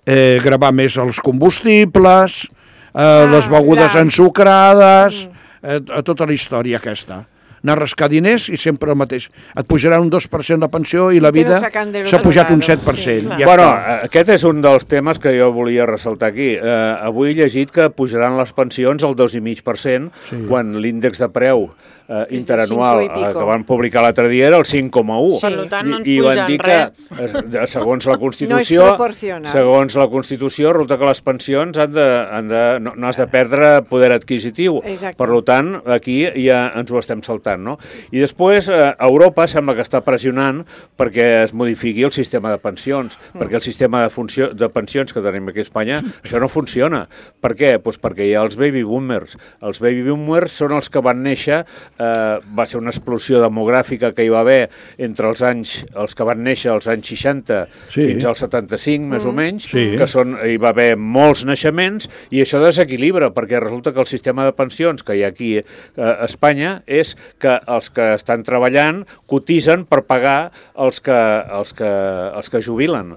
eh, gravar més els combustibles, eh, Ah, les begudes clar. ensucrades, eh, a tota la història aquesta. Anar a rascar diners i sempre el mateix. Et pujaran un dos per cent la pensió i la te lo vida sacan del s'ha otro pujat un lado, set per sí, cent. clar. Ja Bueno, està. eh, aquest és un dels temes que jo volia ressaltar aquí. Eh, avui he llegit que pujaran les pensions al dos coma cinc per cent Sí. quan l'índex de preu eh, del interanual cinco i eh, pico. que van publicar l'altre dia era el cinc coma un. Per lo tant, no ens I, i van pugen dir que, eh, segons la Constitució, proporcional. segons la Constitució, resulta que les pensions han de, han de, no, no has de perdre poder adquisitiu. Exacte. Per lo tant, aquí ja ens ho estem saltant. interessant, no? I després, eh, Europa sembla que està pressionant perquè es modifiqui el sistema de pensions, mm. perquè el sistema de, funció, de pensions que tenim aquí a Espanya, això no funciona. Per què? Pues perquè hi ha els baby boomers. Els baby boomers són els que van néixer, eh, va ser una explosió demogràfica que hi va haver entre els anys, els que van néixer als anys seixanta sí. fins als setanta-cinc, més mm. o menys, sí. que són, hi va haver molts naixements, i això desequilibra, perquè resulta que el sistema de pensions que hi ha aquí eh, a Espanya és que els que estan treballant cotitzen per pagar els que, els que, els que jubilen.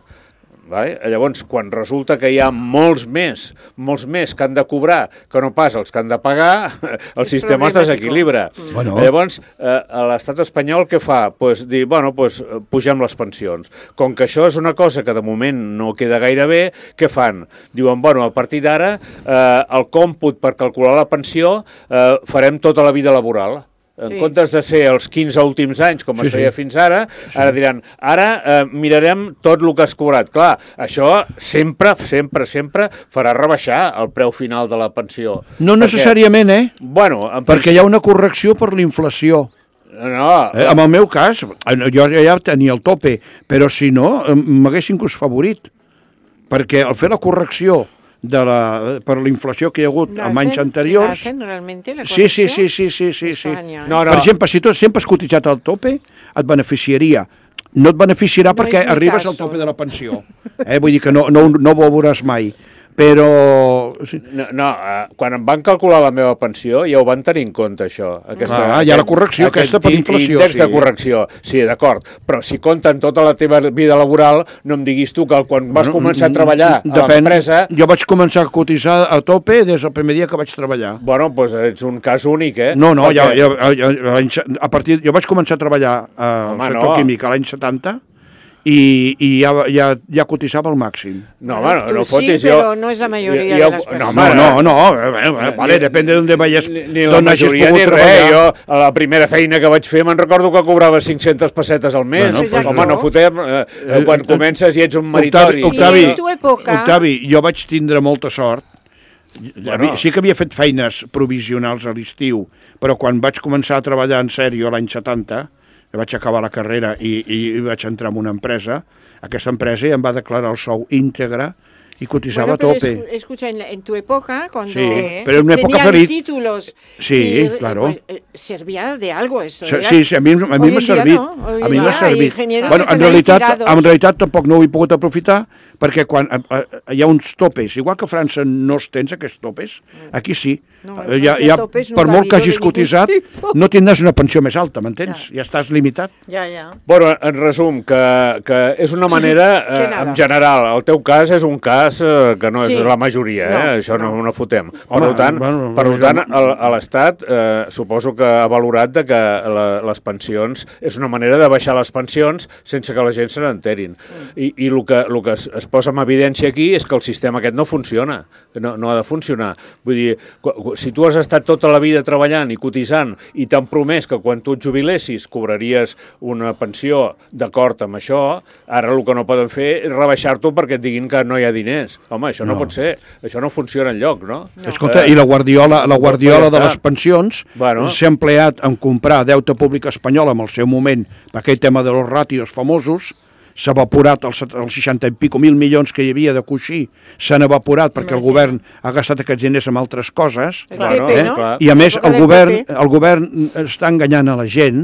Vale? Llavors, quan resulta que hi ha molts més, molts més que han de cobrar que no pas els que han de pagar, el sistema es desequilibra. Bueno. Llavors, eh, l'estat espanyol què fa? Pues dir, bueno, pues, pugem les pensions. Com que això és una cosa que de moment no queda gaire bé, què fan? Diuen, bueno, a partir d'ara, eh, el còmput per calcular la pensió eh, farem tota la vida laboral. En sí. comptes de ser els quinze últims anys, com sí, es feia sí. fins ara, sí. ara diran, ara eh, mirarem tot el que has cobrat. Clar, això sempre, sempre, sempre farà rebaixar el preu final de la pensió. No perquè, necessàriament, eh? Bueno, perquè hi ha una correcció per l'inflació. No, eh, en el meu cas, jo ja tenia el tope, però si no, m'haguessin favorit. Perquè al fer la correcció de la, per la inflació que hi ha hagut no, en anys anteriors... ¿Hacen realmente la sí, sí, sí, sí, sí, sí, sí. No, no. Per exemple, si tu sempre has cotitzat al tope, et beneficiaria. No et beneficiarà no perquè arribes caso. al tope de la pensió. Eh? Vull dir que no, no, no ho veuràs mai. Però... No, no eh, quan em van calcular la meva pensió ja ho van tenir en compte, això. Aquesta, ah, hi ha la correcció aquest, aquesta per inflació. Índex sí. de correcció, sí, d'acord. Però si compten tota la teva vida laboral, no em diguis tu que quan vas bueno, començar a treballar a l'empresa... Jo vaig començar a cotitzar a tope des del primer dia que vaig treballar. Bueno, doncs pues ets un cas únic, eh? No, no, Perquè... ja, ja, ja, a partir, jo vaig començar a treballar al sector no. químic a l'any setanta, i, i ja, ja, ja cotitzava al màxim. No, home, no, no fotis. Sí, però no és la majoria jo, de les persones. No, home, no, no, no, vale, depèn d'on veies, d'on hagis pogut treballar. Jo, a la primera feina que vaig fer, me'n recordo que cobrava cinc-centes pessetes al mes. Bueno, pues, home, no fotem, eh, quan comences i ets un meritori. Octavi, Octavi, Octavi, jo vaig tindre molta sort. Bueno. Sí que havia fet feines provisionals a l'estiu, però quan vaig començar a treballar en sèrio l'any setanta, vaig acabar la carrera i, i vaig entrar en una empresa, aquesta empresa em va declarar el sou íntegre y cotizaba bueno, a tope. Es, escucha, en, en tu época, cuando sí, pero en una época tenían feliz. títulos, sí, y, claro. Pues, servía de algo esto. Sí, sí, sí, a mi, a mi m'ha servit. No. A mi m'ha servit. Bueno, en realitat, en realitat tampoc no ho he pogut aprofitar, perquè quan a, a, hi ha uns topes, igual que a França no es tens aquests topes, aquí sí. No, ja, ja, per molt que hagis cotitzat, no tindràs una pensió més alta, m'entens? Ja. ja estàs limitat. Ja, ja. Bueno, en resum, que, que és una manera, eh, en general, el teu cas és un cas eh, que no és sí. la majoria, eh? no, això no, no, no fotem. Per Home, tant, bueno, per bueno, tant el, l'Estat eh, suposo que ha valorat de que la, les pensions és una manera de baixar les pensions sense que la gent se n'enterin. I, i el que, el que es, es posa en evidència aquí és que el sistema aquest no funciona, no, no ha de funcionar. Vull dir, si tu has estat tota la vida treballant i cotitzant i t'han promès que quan tu et jubilessis cobraries una pensió d'acord amb això, ara el que no poden fer és rebaixar-t'ho perquè et diguin que no hi ha diners. Home, això no, no pot ser, això no funciona enlloc, no? no. Escolta, eh, i la guardiola, la guardiola de les pensions bueno. s'ha empleat en comprar deute públic espanyol en el seu moment, per aquell tema de los ratios famosos, s'ha evaporat els, els seixanta i pico mil milions que hi havia de coixí, s'han evaporat perquè el govern ha gastat aquests diners en altres coses. Claro, eh? no? I a més el govern, el govern està enganyant a la gent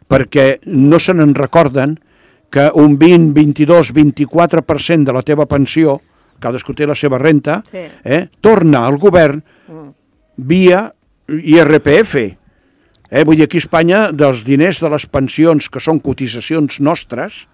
perquè no se n'en recorden que un vint, vint-i-dos, vint-i-quatre per cent de la teva pensió, cadascú té la seva renta, sí. eh, torna al govern via I R P F. Eh, vull dir, aquí a Espanya, dels diners de les pensions que són cotitzacions nostres,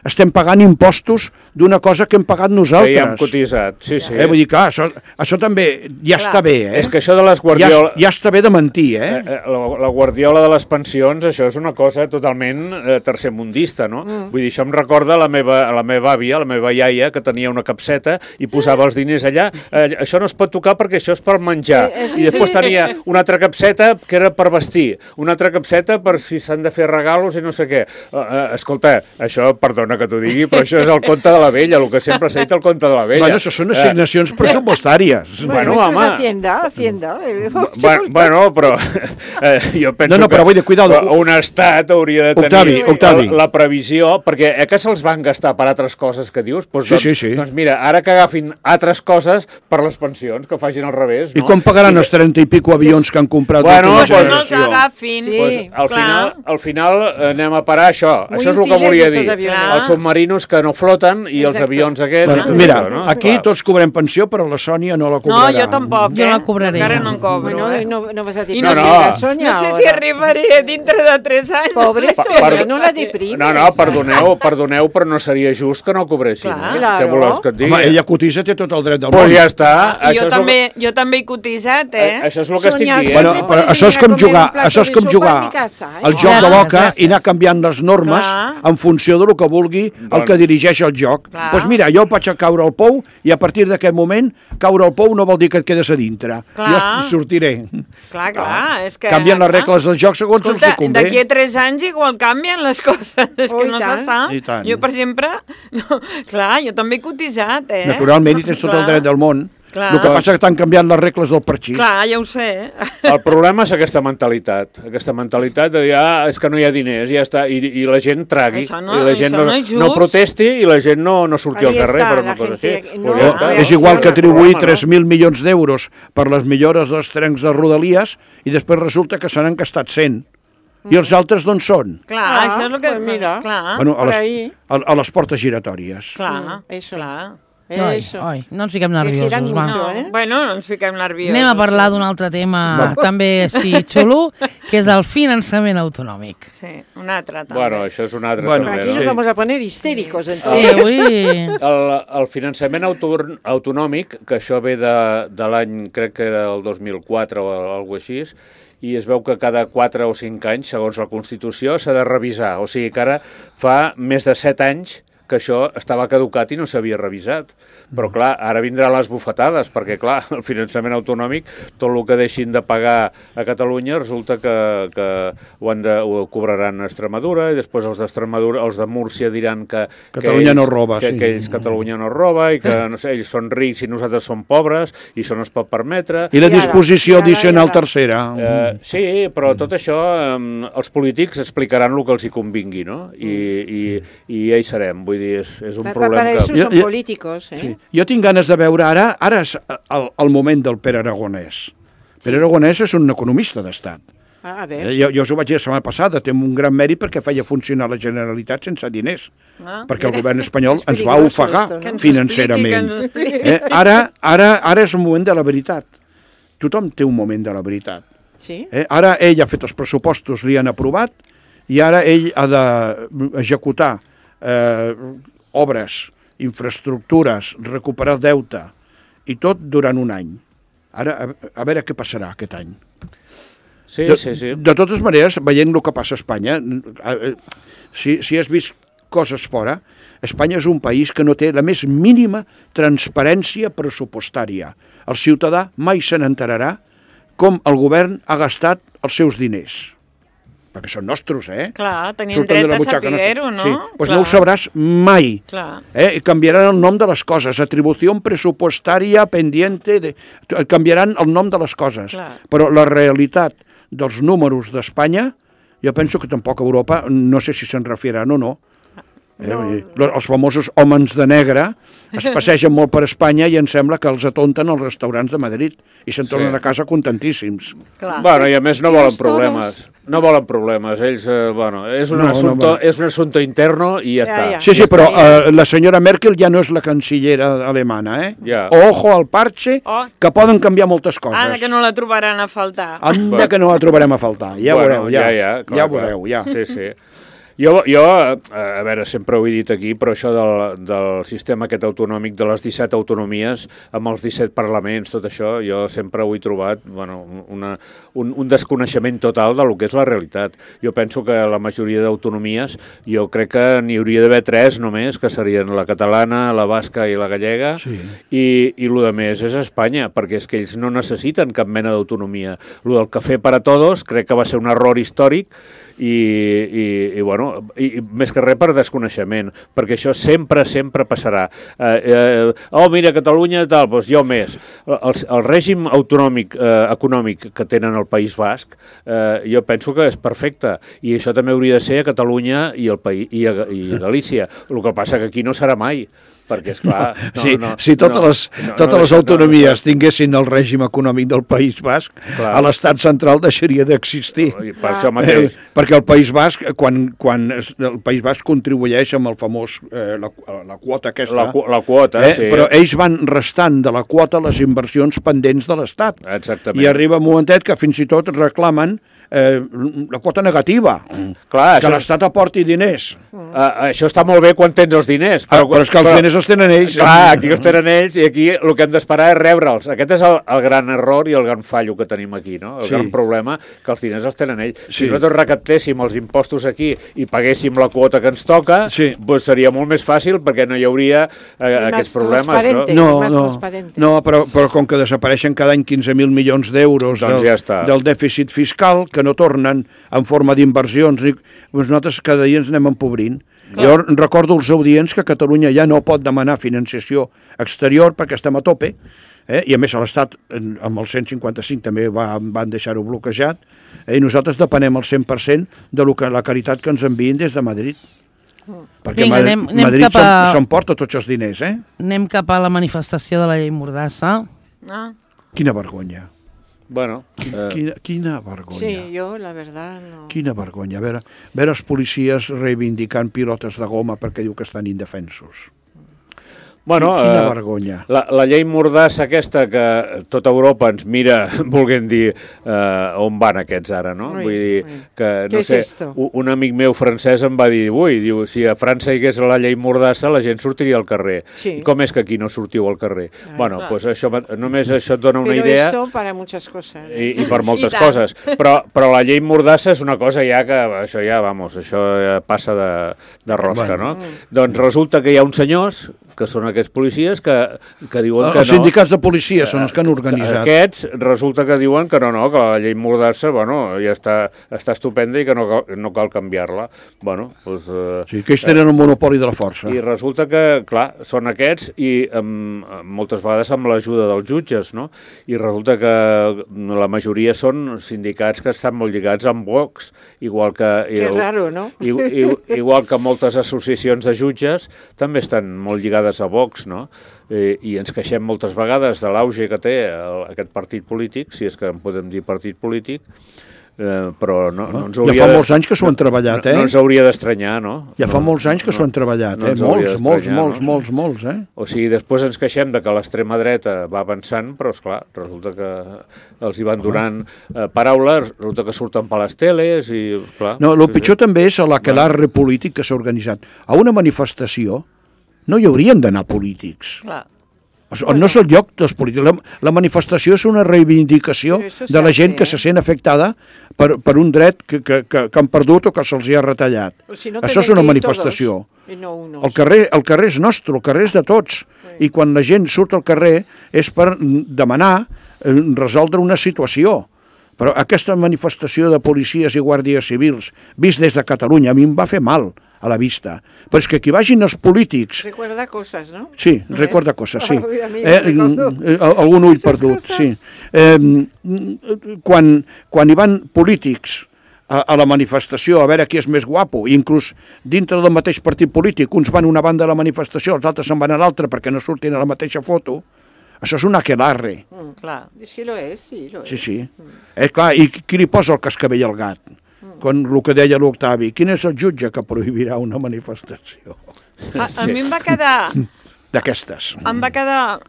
estem pagant impostos d'una cosa que hem pagat nosaltres. Que ja hem cotitzat, sí, sí. Eh, vull dir, clar, això, això també ja clar. Està bé, eh? És que això de les guardioles... Ja, ja està bé de mentir, eh? eh la, la guardiola de les pensions, això és una cosa totalment eh, tercermundista, no? Mm. Vull dir, això em recorda la meva, la meva àvia, la meva iaia, que tenia una capseta i posava els diners allà. Eh, això no es pot tocar perquè això és per menjar. Eh, eh, sí, I després tenia una altra capseta que era per vestir, una altra capseta per si s'han de fer regalos i no sé què. Eh, eh, escolta, això, perdona, perdona que t'ho digui, però això és el conte de la vella, el que sempre s'ha dit el conte de la vella. Bueno, això són assignacions pressupostàries. Bueno, Bueno, eso home. es Hacienda, Hacienda. Bueno, bueno, però eh, jo penso No, no, però vull dir, cuidado. que un estat hauria de tenir Octavi, Octavi. La, la previsió, perquè eh, que se'ls van gastar per altres coses que dius? Doncs, Sí, doncs, sí, sí. Doncs mira, ara que agafin altres coses per les pensions, que facin al revés, no? I quan pagaran els trenta i pico avions que han comprat Bueno, l'última Pues que no pues- els generació? agafin. Sí. Pues, al, clar. final, al final eh, anem a parar a això. Muy això és el que útiles volia estos dir. aviones. Els submarinos que no floten i els Exacto. avions aquests... Bueno, i mira, això, no? aquí Clar. tots cobrem pensió, però la Sònia no la No, cobrarà. jo tampoc, Jo eh? la cobraré. Encara no en cobro, Bueno, eh? no, no vas a I decir no, No, sé, no. la Sonia no sé si ahora. arribaré dintre de tres anys. Pobre Per- Sonia, no la deprimes. No, no, perdoneu, perdoneu, però no seria just que no cobressin. Clar. Eh? Claro. Què voleu que et digui? Home, ella cotitza, té tot el dret del Pues món. ja està. I això jo és també, el que, jo també he cotitzat, eh? eh, això és el que estic Sonia, dient. Bueno, Sempre no? però puedes això és venir a com comer jugar, un plato això és de com sopa jugar a mi casa, eh? al joc de Gràcies, l'oca gràcies. i anar canviant les normes Clar. en funció del que vulgui el Doncs- que dirigeix el joc. Doncs Clar. pues mira, jo vaig a caure al pou i a partir d'aquest moment caure al pou no vol dir que et quedes a dintre. Clar. Jo sortiré. Clar, clar, és que... Canvien les clar. regles del joc segons Escolta, els convé. d'aquí a tres anys igual canvien les coses, és Oh, que i no se tant. sap. I tant. Jo, per exemple, no, clar, jo també he cotitzat, eh? Naturalment, i tens tot el Clar. dret del món. Clar. El que passa és que t'han canviat les regles del parxís. Clar, ja ho sé. El problema és aquesta mentalitat, aquesta mentalitat de dir, ah, és que no hi ha diners, ja està, i, i la gent tragui, Això no- i la gent això no, no és no just. protesti i la gent no, no surti al Ahí carrer està, per la una cosa gente així. no- Pues ja Ah, està. És igual que El atribuir problema, no? tres mil milions d'euros per les millores dels trens de Rodalies i després resulta que se n'han gastat cent. I els altres d'on són? Clar, Ah, això és el que... pues mira. Clar, Bueno, a por les, ahí. a, a les portes giratòries. clar, Mm, eso. clar. Oi, Eso. oi, no ens fiquem Que giran nerviosos, va. mucho, No, eh? bueno, no ens fiquem nerviosos. Anem a parlar d'un altre tema també així xulo, que és el finançament autonòmic. Sí, un altre, també. Bueno, això és un altre Bueno, també, Aquí no? nos vamos a poner histéricos, Sí, entonces. avui... El, el finançament auto, autonòmic, que això ve de, de l'any, crec que era el dos mil quatre o alguna cosa així, i es veu que cada quatre o cinc anys, segons la Constitució, s'ha de revisar. O sigui que ara fa més de set anys que això estava caducat i no s'havia revisat. Però, clar, ara vindran les bufetades, perquè, clar, el finançament autonòmic, tot el que deixin de pagar a Catalunya, resulta que, que ho, han de, ho cobraran a Extremadura, i després els d'Extremadura, els de Múrcia diran que... Catalunya que ells, no roba, que, sí. que ells Catalunya no roba, i que, no sé, ells són rics i nosaltres som pobres, i això no es pot permetre. I la I ara, disposició i ara, addicional i ara. tercera. Eh, sí, però tot això eh, els polítics explicaran el que els hi convingui, no? I, i, i ja hi serem, vull dir, és, és un Pa- pa- problema Para eso que... Jo- son jo- políticos, ¿eh? Sí. Jo tinc ganes de veure ara, ara és el, el moment del Pere Aragonès. Pere Aragonès és un economista d'estat. Ah, a Eh, ver. Jo, jo us ho vaig dir la setmana passada, té un gran mèrit perquè feia funcionar la Generalitat sense diners, Ah, perquè el govern espanyol És ens va peligroso ofegar esto, no? que ens financerament. expliqui, que ens expliqui. Eh, ara, ara, ara és el moment de la veritat. Tothom té un moment de la veritat. Sí. Eh, ara ell ha fet els pressupostos, li han aprovat, i ara ell ha d'executar eh, obres, infraestructures, recuperar deute, i tot durant un any. Ara, a, a veure què passarà aquest any. Sí, De, sí, sí. de totes maneres, veient el que passa a Espanya, eh, eh, si, si has vist coses fora, Espanya és un país que no té la més mínima transparència pressupostària. El ciutadà mai se n'enterarà com el govern ha gastat els seus diners. Perquè són nostres, eh? Clar, tenien Surten de dret la a butxaca saber-ho, nostra. no? Sí, doncs Clar. no ho sabràs mai. Clar. Eh? I canviaran el nom de les coses, atribució pressupostària pendiente, de... canviaran el nom de les coses. Clar. Però la realitat dels números d'Espanya, jo penso que tampoc Europa, no sé si se'n refieran o no, eh? Vull dir, lo- els famosos homes de negre es passegen molt per Espanya i em sembla que els atonten als restaurants de Madrid i se'n tornen Sí. a casa contentíssims. Clar. Bueno, i a més no Dios volen todos. problemes. No volen problemes. Ells, eh, bueno, és un, No, no assunto, volen. és un assunto interno i ja, Ja, està. ja. Sí, sí, Ja però està, ja. eh, la senyora Merkel ja no és la cancillera alemana, eh? Ja. Ojo al parche, Oh. que poden canviar moltes coses. Anda, que no la trobaran a faltar. Anda que no la trobarem a faltar, ja Bueno, veureu, ja, ja, ja, clar, ja clar. veureu, ja. Sí, sí. Jo, jo, a veure, sempre ho he dit aquí, però això del, del sistema aquest autonòmic de les disset autonomies, amb els disset parlaments, tot això, jo sempre ho he trobat bueno, una, un, un desconeixement total de lo que és la realitat. Jo penso que la majoria d'autonomies, jo crec que n'hi hauria d'haver tres només, que serien la catalana, la basca i la gallega, Sí. i, i el més és Espanya, perquè és que ells no necessiten cap mena d'autonomia. El del cafè per a todos crec que va ser un error històric, i, i, i bueno, i, i més que res per desconeixement, perquè això sempre, sempre passarà. Eh, eh, oh, mira, Catalunya, tal, doncs jo més. El, el règim autonòmic, eh, econòmic que tenen al País Basc, eh, jo penso que és perfecte, i això també hauria de ser a Catalunya i, el país, i, a, i a Galícia. El que passa que aquí no serà mai, perquè, esclar... No, sí, no, si totes no, les, no, totes no, les autonomies no, no, tinguessin el règim econòmic del País Basc, clar, a l'estat central deixaria d'existir. Per això mateix. Eh, perquè el País Basc, quan, quan el País Basc contribueix amb el famós, eh, la, la quota aquesta... La, la quota, eh, sí. Però ells van restant de la quota les inversions pendents de l'Estat. Exactament. I arriba un momentet que fins i tot reclamen Eh, la quota negativa, clar, que això... l'Estat aporti diners. Uh, això està molt bé quan tens els diners. Però, ah, però és que els però, diners els tenen ells. Clar, aquí els tenen ells i aquí el que hem d'esperar és rebre'ls. Aquest és el, el gran error i el gran fallo que tenim aquí, no? El sí. gran problema, que els diners els tenen ells. Sí. Si nosaltres recaptéssim els impostos aquí i paguéssim la quota que ens toca, sí. doncs seria molt més fàcil perquè no hi hauria eh, aquests problemes. No, no, no, no però, però com que desapareixen cada any quinze mil milions d'euros doncs del, ja del dèficit fiscal, que no tornen en forma d'inversions, doncs nosaltres cada dia ens anem empobrint. Clar. Jo recordo als audients que Catalunya ja no pot demanar financiació exterior perquè estem a tope, eh? I a més l'Estat amb el cent cinquanta cinc també va, van deixar-ho bloquejat, eh? I nosaltres depenem el cent per cent de lo que, la caritat que ens envien des de Madrid. Perquè Vinga, Madrid, anem, anem Madrid a... s'emporta tots els diners, eh? Anem cap a la manifestació de la llei Mordassa. Ah. Quina vergonya. Bueno, eh... quina, quina vergonya. Sí, jo, la verdad, no... Quina vergonya. A veure, a veure els policies reivindicant pilotes de goma perquè diu que estan indefensos. Bueno, quina eh, vergonya. La, la llei Mordassa aquesta que tota Europa ens mira, volguem dir, eh, on van aquests ara, no? Ui, Vull dir ui. que, no Què sé, és esto? un amic meu francès em va dir, ui, diu, si a França hi hagués la llei Mordassa, la gent sortiria al carrer. Sí. I com és que aquí no sortiu al carrer? Ai, bueno, clar. pues això, només això et dona una Però idea... esto para muchas cosas. Eh? I, i per moltes I coses. Però, però la llei Mordassa és una cosa ja que, això ja, vamos, això ja passa de, de rosca, Bueno. no? Mm. Doncs resulta que hi ha uns senyors, que són aquests policies, que, que diuen que no... Els sindicats de policia són els que han organitzat. Aquests resulta que diuen que no, no, que la llei Mordassa, bueno, ja està, està estupenda i que no cal, no cal canviar-la. Bueno, doncs... Eh, Sí, que ells tenen un monopoli de la força. I resulta que, clar, són aquests i um, moltes vegades amb l'ajuda dels jutges, no? I resulta que la majoria són sindicats que estan molt lligats amb Vox, igual que... Que raro, no? I, i, igual que moltes associacions de jutges també estan molt lligades a Vox, no? I, i ens queixem moltes vegades de l'auge que té el, aquest partit polític, si és que en podem dir partit polític, eh, però no, no ens hauria... Ja fa molts anys que s'ho han treballat, eh? No, no ens hauria d'estranyar, no? Ja fa no, molts anys que no, s'ho han treballat, no eh? ens Molts, hauria molts, d'estranyar, molts, no? molts, molts, eh? O sigui, després ens queixem de que l'extrema dreta va avançant, però, esclar, resulta que els hi van donant eh, paraules, resulta que surten per les teles i, clar... No, el sí, pitjor sí. també és l'aquelarre polític que s'ha organitzat. A una manifestació no hi haurien d'anar polítics. Clar. O no és el lloc dels polítics. La, la manifestació és una reivindicació de la gent que se sent afectada per, per un dret que, que, que, que han perdut o que se'ls hi ha retallat. Si no Això és una manifestació. No unos. El carrer, el carrer és nostre, el carrer és de tots. Sí. I quan la gent surt al carrer és per demanar eh, resoldre una situació. Però aquesta manifestació de policies i guàrdies civils, vist des de Catalunya, a mi em va fer mal a la vista. Però és que aquí vagin els polítics... Recuerda coses, no? Sí, recuerda coses, sí. Oh, a mi Eh, recordo eh, algun ull muchas perdut, cosas. sí. Eh, quan, quan hi van polítics a, a la manifestació a veure qui és més guapo, i inclús dintre del mateix partit polític, uns van a una banda de la manifestació, els altres se'n van a l'altra perquè no surtin a la mateixa foto, això és un aquelarre. Mm. Clar. És que lo és, sí, lo és. Sí, sí. Eh, clar, i qui li posa el cascavell al gat? Quan el que deia l'Octavi, quin és el jutge que prohibirà una manifestació A, a mi em va quedar... d'aquestes? Em va quedar...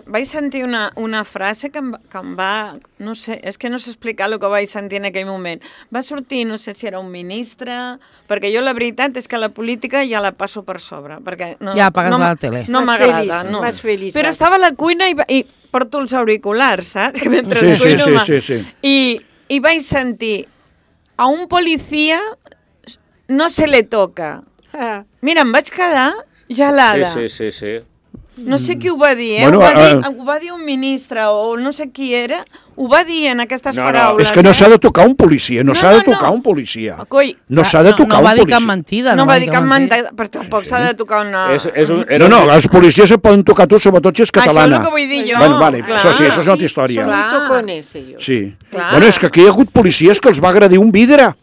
Vaig sentir una, una frase que em, va- que em va... No sé, és que no sé explicar el que vaig sentir en aquell moment. Va sortir, no sé si era un ministre, perquè jo la veritat és que la política ja la passo per sobre, perquè no, Ja apagues no, la tele. No Más m'agrada, feliç, no. más feliç, Però vas. estava a la cuina i, va- i porto els auriculars, saps? Mentre Sí, sí, cuino, sí, ma- sí, sí. I, I vaig sentir a un policía no se le toca. Ah, Mira, em vaig quedar gelada. Sí, sí, sí, sí. No sé qui ho va dir, eh? Bueno, ho, va dir, eh, ho va dir un ministre o no sé qui era, ho va dir en aquestes No, no, paraules. És que no eh? s'ha de tocar un policia, no, No, s'ha no, de tocar no. un policia. Coi, No s'ha de no, tocar no va un dir policia. cap mentida. no va dir cap mentida, però tampoc s'ha de tocar una... És, és un, No, no, els policies se poden tocar tu, sobretot si és Això és catalana. el que vull dir jo. Bueno, vale, clar. això sí, això és una altra història. Son Clar. muy tocones ellos. Sí. Clar. Bueno, és que aquí hi ha hagut policies que els va agredir un vidre.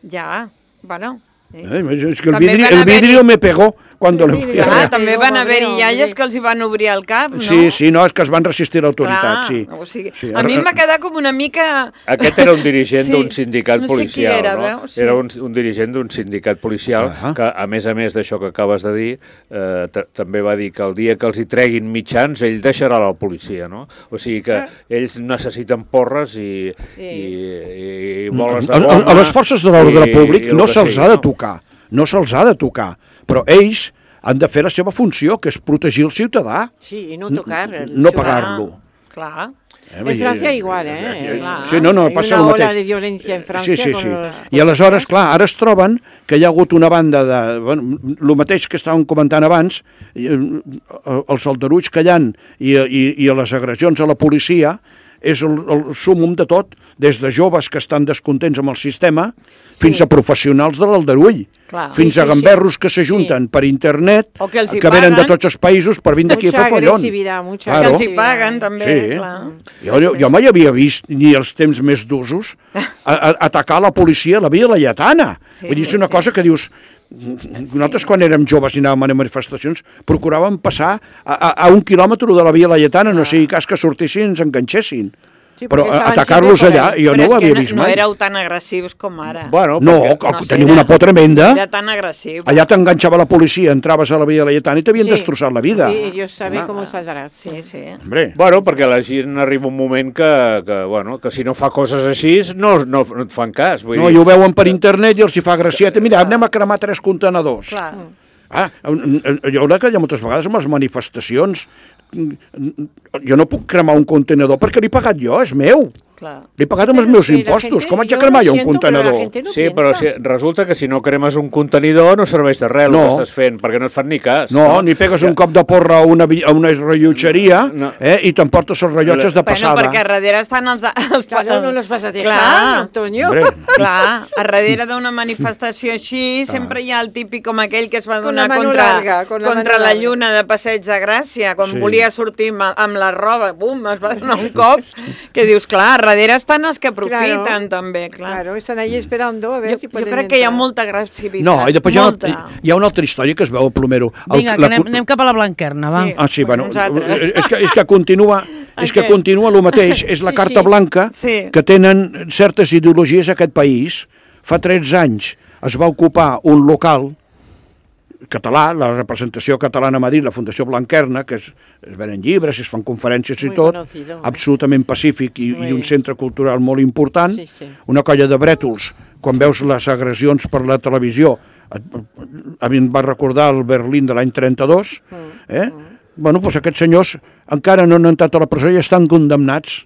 Ja, bueno... Sí. Eh, és que el També vidri, van el haver-hi- vidrio me pegó cuando El le vidrio. fui a Clar, ver. també Déu, van home, haver-hi Déu, iaies Déu. que els hi van obrir el cap, no? Sí, sí, no, és que es van resistir a l'autoritat, Clar, sí. o sigui, Sí, a mi ara- em va quedar com una mica... Aquest era un dirigent Sí, d'un sindicat no sé qui policial, era, no? veus? Sí. Era un, un dirigent d'un sindicat policial Ah. que, a més a més d'això que acabes de dir, eh, t- també va dir que el dia que els hi treguin mitjans, ell deixarà la policia, no? O sigui que ells necessiten porres i, i, i, i boles de A, a, goma... a les forces de l'ordre i- públic i el no que se'ls sigui, ha de no? tocar, no se'ls ha de tocar, però ells han de fer la seva funció, que és protegir el ciutadà, Sí, y no tocar. el no ciudadano. pagar-lo. Clar. Eh, En Francia igual, ¿eh? Clar. Sí, no, no, Hay passa una el ola mateix. de violencia en Francia. Sí, sí, con sí. los I aleshores, policías. clar, ara es troben que hi ha hagut una banda de... Bueno, el mateix que estàvem comentant abans, i, eh, els aldarulls que hi ha i, i, i les agressions a la policia és el, el súmum de tot, des de joves que estan descontents amb el sistema fins a professionals de l'aldarull, Clar. fins Sí, a sí, gamberros sí. que s'ajunten per internet, O que els hi que venen de paguen. tots els països per vindre aquí a Mucha fer follon. agresividad, mucha Claro. Que els hi agresividad. paguen, també, Sí. clar. Jo, jo mai havia vist, ni els temps més d'usos, a, a, atacar la policia a la Via Laietana. Sí, Vull dir, és sí, una sí. cosa que dius... Nosaltres, quan érem joves i anàvem a manifestacions, procuràvem passar a, a, a un quilòmetre de la Via Laietana, no sigui cas que sortissin i ens enganxessin. Sí, Però porque estaban atacar-los siempre por allà, ahí. jo Però no és ho que havia no, vist no mai. éreu tan agressius com ara. Bueno, No, perquè... que No sé, tenim era- una por tremenda. Era tan agressiu. Allà t'enganxava la policia, entraves a la Via Laietana i t'havien Sí. destrossat la vida. Y Dios sabe cómo saldrás. Sí, sí. Hombre, Bueno, perquè la gent arriba un moment que, que, bueno, que si no fa coses així no, no, no et fan cas. Vull no, dir, i ho veuen per internet i els hi fa gracieta. Mira, anem a cremar tres contenedors. Clar. Ah, jo crec que hi ha moltes vegades amb les manifestacions jo no puc cremar un contenedor perquè l'he pagat jo, és meu. Clar. L'he pagat amb els meus Sí, la impostos. gente- Com haig de yo cremar lo jo un siento, pero la contenedor? gente no Sí, piensa. però si, resulta que si no cremes un contenidor no serveix de res No. el que estàs fent, perquè no et fan ni cas. No, ni pegues un cop de porra a una, vi- a una rellotgeria No. eh, i t'emportes els rellotges de Bueno, passada. perquè a darrere estan els... els Claro, no los vas a dejar, Clar. Antonio. Hombre, Clar, a darrere d'una manifestació així sempre hi ha el típic com aquell que es va Con donar la mano contra, larga, con la contra mano la larga. lluna de Passeig de Gràcia, quan Sí. volia sortir amb, amb la roba, bum, es va donar un cop, que dius, clar, a darrere estan els que aprofiten Claro. també, clar. Claro, están ahí esperando a ver Jo, si jo pueden crec que hi ha entrar. molta agressivitat. no, i després hi ha, molta. una, hi ha una altra història que es veu al plomero. El- Vinga, que la- anem, anem cap a la Blanquerna, va. Sí. Ah, sí, bueno, Nosaltres. és que, és que continua, és que Aquest. continua el mateix, és la Sí, carta sí. blanca Sí. que tenen certes ideologies a aquest país. Fa tretze anys es va ocupar un local català, la representació catalana a Madrid, la Fundació Blanquerna, que es, es venen llibres, es fan conferències i Muy tot, conocido, eh? absolutament pacífic i, Muy i un bien. centre cultural molt important, Sí, sí. una colla de brètols, quan veus les agressions per la televisió, et- a mi em va recordar el Berlín de l'any trenta-dos, eh? Bueno, doncs aquests senyors encara no han entrat a la presó i estan condemnats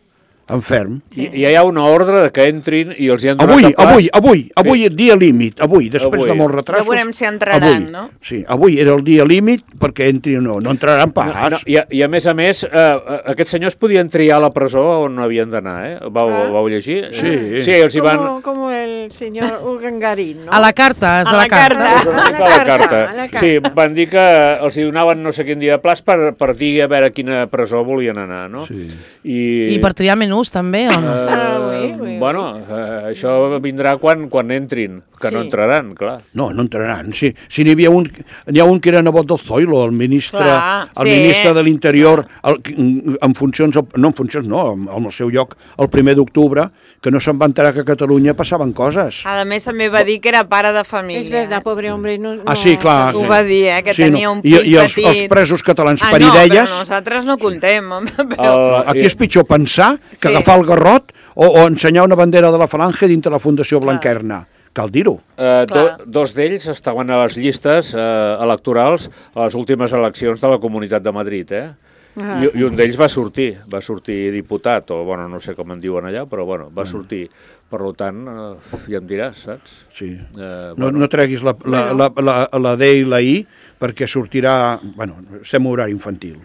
en ferm. I, I hi ha una ordre de que entrin i els hi han donat Avui, el pas. avui, avui, avui, dia límit, avui, després Avui. de molts retrasos. Ja veurem si entraran, avui. no? Sí, avui era el dia límit perquè entrin o no, no entraran pas. No, no, i, a, I a més a més, eh, aquests senyors podien triar la presó on havien d'anar, eh? Vau, Ah. vau llegir? Sí. Sí, els hi van... Como, como el señor Urgangarín, ¿no? A la carta, és a, A la la carta. carta. Una mica a la carta. a la carta. Sí, van dir que els hi donaven no sé quin dia de plaç per, per dir a veure a quina presó volien anar, no? Sí. I, I per triar menús, també, o no? Eh, Ah, oui, oui, bueno, eh, això vindrà quan, quan entrin, que no Sí. entraran, clar. No, no entraran. Sí, si n'hi havia un, n'hi ha un que era nebot del Zoilo, el ministre, Clar, el sí. ministre de l'Interior, el- en funcions, no en funcions, no, en el seu lloc, el primer d'octubre, que no se'n va enterar que a Catalunya passaven coses. A més, també va dir que era pare de família. Es verdad, pobre hombre. No, Ah, no- sí, clar. Ho va dir, eh, que Sí, tenia no. un I, fill i els, petit. els presos catalans Ah, per no, idees... però nosaltres no contem. home, Però... El- Aquí és pitjor pensar que Sí. agafar el garrot o, o ensenyar una bandera de la falange dintre la Fundació Blanquerna. Cal dir-ho. Eh, do, Clar. dos d'ells estaven a les llistes eh, electorals a les últimes eleccions de la Comunitat de Madrid, eh? I, i un d'ells va sortir, va sortir diputat, o bueno, no sé com en diuen allà, però bueno, va sortir. Per tant, eh, ja em diràs, saps? Sí. Eh, no, bueno. no treguis la, la, la, la, la D i la I, perquè sortirà... Bueno, estem a horari infantil.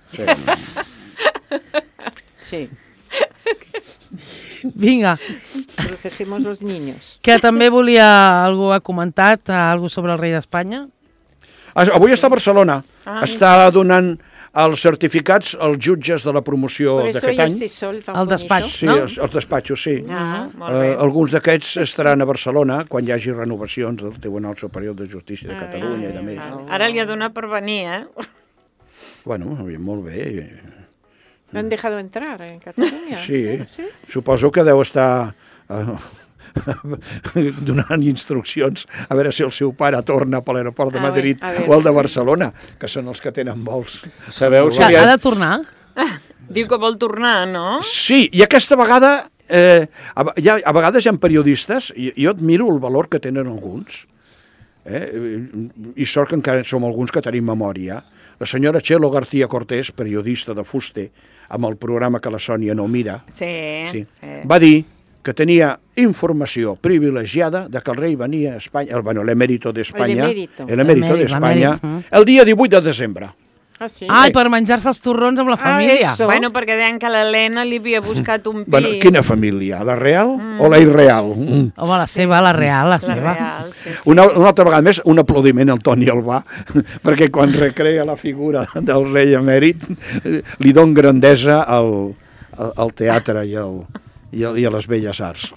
Sí. Sí, Vinga, protegemos los niños. que també volia... Algú ha comentat eh, algú sobre el rei d'Espanya? Avui està a Barcelona. Ah, Està donant els certificats als jutges de la promoció Por eso d'aquest hay any. este sol tan Al bonito. despatx. Sí, no? els, els despatxos, sí. Ah, molt Uh, bé. alguns d'aquests estaran a Barcelona quan hi hagi renovacions del Tribunal Superior de Justícia de Ah, Catalunya i de ah, més. ah. Ara li ha donat per venir, eh? Bueno, molt bé. ¿Lo han dejado entrar en Cataluña? Sí, suposo que deu estar uh, donant instruccions a veure si el seu pare torna per l'aeroport de A Madrid veure, a veure. o el de Barcelona, que són els que tenen vols. Sabeu si Que li ha ha... de tornar? Diu que vol tornar, no? Sí, i aquesta vegada, eh, a, hi ha, a vegades hi ha periodistes, i jo admiro el valor que tenen alguns, eh, i sort que encara som alguns que tenim memòria. La senyora Txelo García Cortés, periodista de Fuste, amb el programa que la Sònia no mira, Sí. sí, sí. va dir que tenia informació privilegiada de que el rei venia a Espanya, el, bueno, l'emèrito d'Espanya, El emérito. l'emèrito L'emèrit, d'Espanya, l'emèrit, mm. el dia divuit de desembre. Ah, sí. Ai, per menjar-se els torrons amb la família. eso. Bueno, perquè deien que l'Helena li havia buscat un pis. Bueno, quina família? La real mm. o la irreal? Mm. Home, la seva, la real, la, La seva. real, sí, sí. Una, una altra vegada més, un aplaudiment al Toni Albà, perquè quan recrea la figura del rei emèrit li don grandesa al, al, al teatre i, al, i, al, i a les belles arts.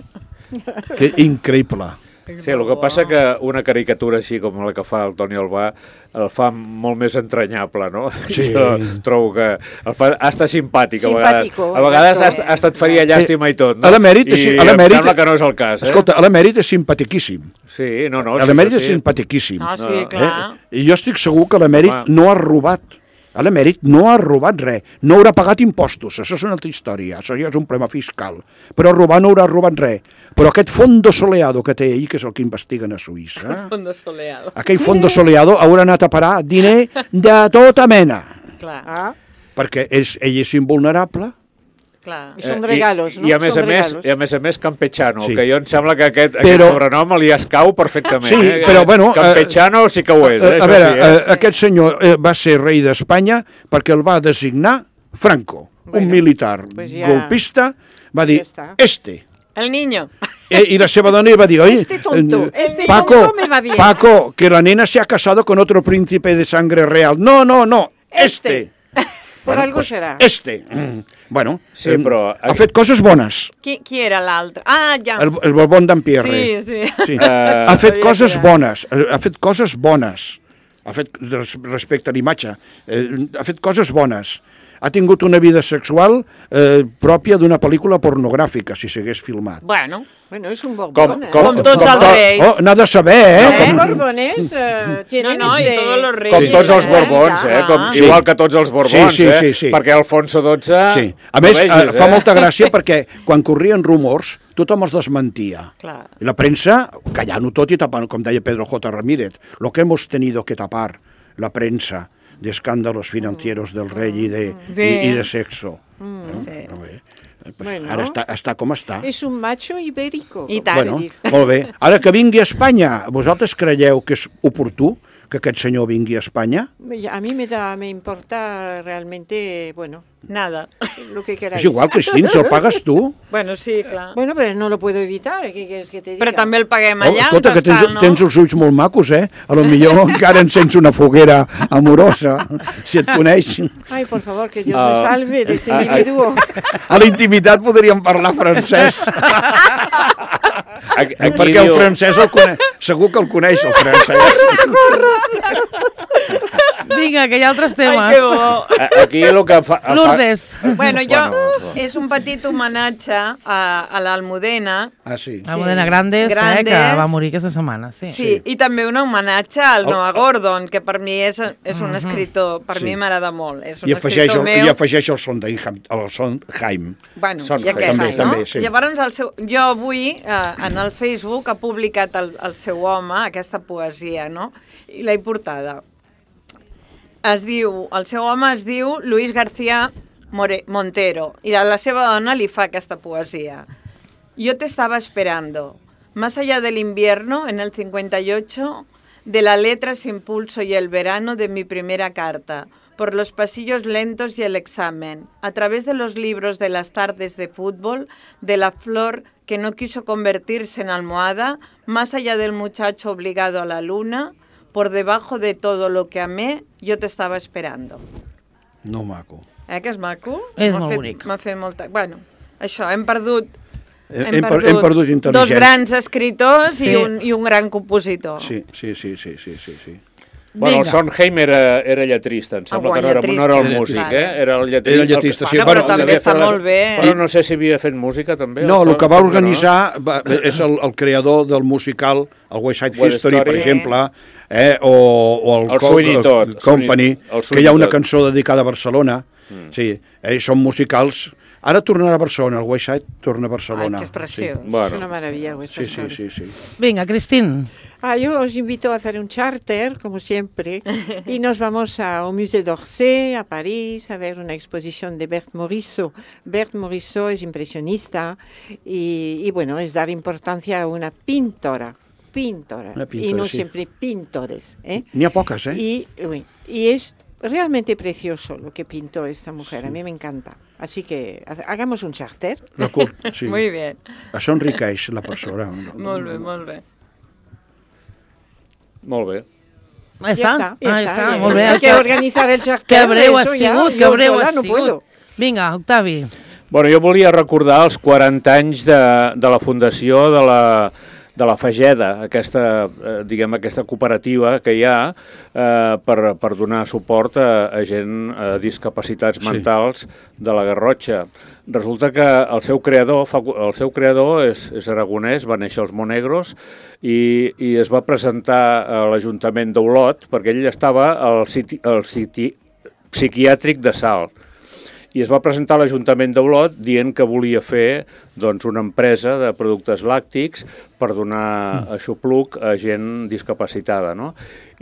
Que increïble. Sí, el que passa que una caricatura així com la que fa el Toni Albà el fa molt més entranyable, no? Sí. Jo trobo que el fa, ha estat simpàtic a vegades. Simpàtico, A vegades ha, exacte. ha estat faria llàstima i tot, no? A l'emèrit és- I a l'emèrit- em sembla que no és el cas, eh? Escolta, l'emèrit és simpatiquíssim. Sí, no, no. A sí, l'emèrit sí, és sí. simpatiquíssim. Ah, sí, clar. Eh? I jo estic segur que l'emèrit Home. no ha robat. A l'emèrit no ha robat res. No haurà pagat impostos. Això és una altra història. Això ja és un problema fiscal. Però robar no haurà robat res. Però aquest fondo soleado que té ell, que és el que investiguen a Suïssa, Fondo soleado. aquell fondo soleado haurà anat a parar diner de tota mena. Clar, Ah, Perquè és, ell és invulnerable. clar. y son Eh, regalos, i, ¿no? I a més Son a més, regalos. i a més a més campechano, Sí. que jo em sembla que aquest, Però- aquest sobrenom li escau perfectament. Sí, eh? però, bueno, Campechano sí que ho és, eh? a Això veure, sí, eh? eh, aquest senyor eh, va ser rei d'Espanya perquè el va designar Franco, Bueno, un militar pues ja- golpista, va dir, ja està. este. El niño. Eh, I la seva dona li va dir, oye, Este tonto, eh, este Paco, tonto me va bien. Paco, que la nena se ha casado con otro príncipe de sangre real. No, no, no, este. Por Bueno, algo pues, será. Este. Mm. Bueno, Sí, eh, però- ha fet coses bones. Qui, qui era l'altre? Ah, ja. El, el Borbón d'Empierre. Sí, sí. Sí. Eh, ha fet sabia coses que era. bones, eh, ha fet coses bones, ha fet res- respecte a l'imatge, eh, ha fet coses bones. Ha tingut una vida sexual eh, pròpia d'una pel·lícula pornogràfica, si s'hagués filmat. Bueno, Bueno, es un borbón. Com- ¿eh? com- Com tots els to- reis. Oh, n'ha de saber, eh? Los Com, borbones eh, tienen No, no, i este- todos los reyes. Com tots els Sí, borbons, eh? Com, sí. igual que tots els borbons, Sí, sí, sí, eh? sí. Perquè Alfonso dotze... sí. A no més, vegis, eh, fa molta gràcia perquè quan corrien rumors, tothom els desmentia. clar. I la premsa, callant-ho tot i tapant, com deia Pedro J. Ramírez, lo que hemos tenido que tapar, la prensa, de escándalos financieros del rey y de, Sí. y, y de sexo. Sí. A veure, pues Bueno. ara està, està com està. Es un macho ibérico. I como tant. se Bueno, dice. molt bé. Ara que vingui a Espanya, vosaltres creieu que és oportú que aquest senyor vingui a Espanya? A mí me da, me importa realmente, bueno, Nada. lo que queráis. És igual, Cristín, si el pagues tu. Bueno, sí, clar. Bueno, pero no lo puedo evitar, ¿qué quieres que te diga? Però també el paguem Oh, allà, escolta, on que tens, està, no? tens els ulls molt macos, eh? A lo millor encara encens una foguera amorosa, si et coneix. Ay, por favor, que Dios Ah, me salve de este ah, ah. individuo. A la intimitat podríem parlar francès. Aquí, aquí Perquè el diu- francès el coneix. Segur que el coneix, el francès. Vinga, que hi ha altres temes. Ai, que bo. a- aquí el que fa... fa- Lourdes. Bueno, jo, Bueno, és un petit homenatge a, a l'Almudena. Ah, sí. La Modena Grandes, Grandes. Eh, que va morir aquesta setmana. Sí. Sí, i també un homenatge al Oh, Noah Gordon, que per mi és, és un escriptor, per Sí. mi m'agrada molt. És un I afegeix, escriptor el, meu. I afegeix el Sondheim. El Sondheim. Bueno, Sondheim. i aquest, També, no? també, sí. Llavors, el seu, jo avui, eh, en el Facebook, ha publicat el, el seu home, aquesta poesia, no? I l'he portada. es diu, el seu home es diu Luis García More- Montero, y a la seva dona li fa aquesta poesía. Yo te estaba esperando, más allá del invierno, en el cincuenta y ocho, de la letra sin pulso y el verano de mi primera carta, por los pasillos lentos y el examen, a través de los libros de las tardes de fútbol, de la flor que no quiso convertirse en almohada, más allá del muchacho obligado a la luna, por debajo de todo lo que amé, yo te estaba esperando. No maco. Eh, que és maco? És M'ha molt fet- bonic. M'ha fet molta... Bueno, això, hem perdut... Hem, hem, per, hem perdut dos intel·ligència. grans escriptors Sí. i, un, i un gran compositor. Sí, sí, sí, sí, sí, sí, sí. Bueno, el Vinga. Sondheim era, era lletrista, em sembla Ah, que no era, lletrista. no era el Era músic, lletrista. eh? Era el lletrista. Era el lletrista, sí. Bueno, Bueno, però també devia està fer la- molt bé. Però no sé si havia fet música, també. No, el que va Sondheim, organitzar va, és el, el creador del musical, el West Side West History, per Story. exemple, eh, o, o el, El Co- Sweeney Todd, el Company, Sweeney- el que hi ha una Sweeney Todd. cançó dedicada a Barcelona. Mm. Sí, eh, són musicals. Ara tornarà a Barcelona, el West Side torna a Barcelona. Ay, que es precioso. no? Bueno, Es una maravilla. West Sí, Side sí, Story. sí, sí. Vinga, Cristín. Ah, yo os invito a hacer un charter, como siempre, y nos vamos a, au Musée d'Orsay, a París, a ver una exposición de Berthe Morisot. Berthe Morisot es impresionista y, y, bueno, es dar importancia a una pintora, pintora, Una pintora, y no sí. siempre pintores. ¿eh? N'hi ha poques, eh? Y, oui, y es realmente precioso lo que pintó esta mujer, a mí me encanta. Así que ha- hagamos un charter. La cul- sí. Muy bien. Això enriqueix la persona. Molt bé, molt bé. molt bé. Ja Ya està, está, ya ah, está, està, bien. molt bé. Hay que organizar el charter. Que breu ha eso ya, sigut, que yo breu sola ha no sigut. puedo. Vinga, Octavi. Bueno, jo volia recordar els quaranta anys de, de la fundació de la, de la Fageda, aquesta, eh, diguem, aquesta cooperativa que hi ha eh, per, per donar suport a, a gent a discapacitats Sí. mentals de la Garrotxa. Resulta que el seu creador, fa- el seu creador és, és aragonès, va néixer als Monegros i, i es va presentar a l'Ajuntament d'Olot perquè ell estava al siti, al siti psiquiàtric de Salt. I es va presentar a l'Ajuntament d'Olot dient que volia fer doncs, una empresa de productes làctics per donar aixopluc a gent discapacitada, no?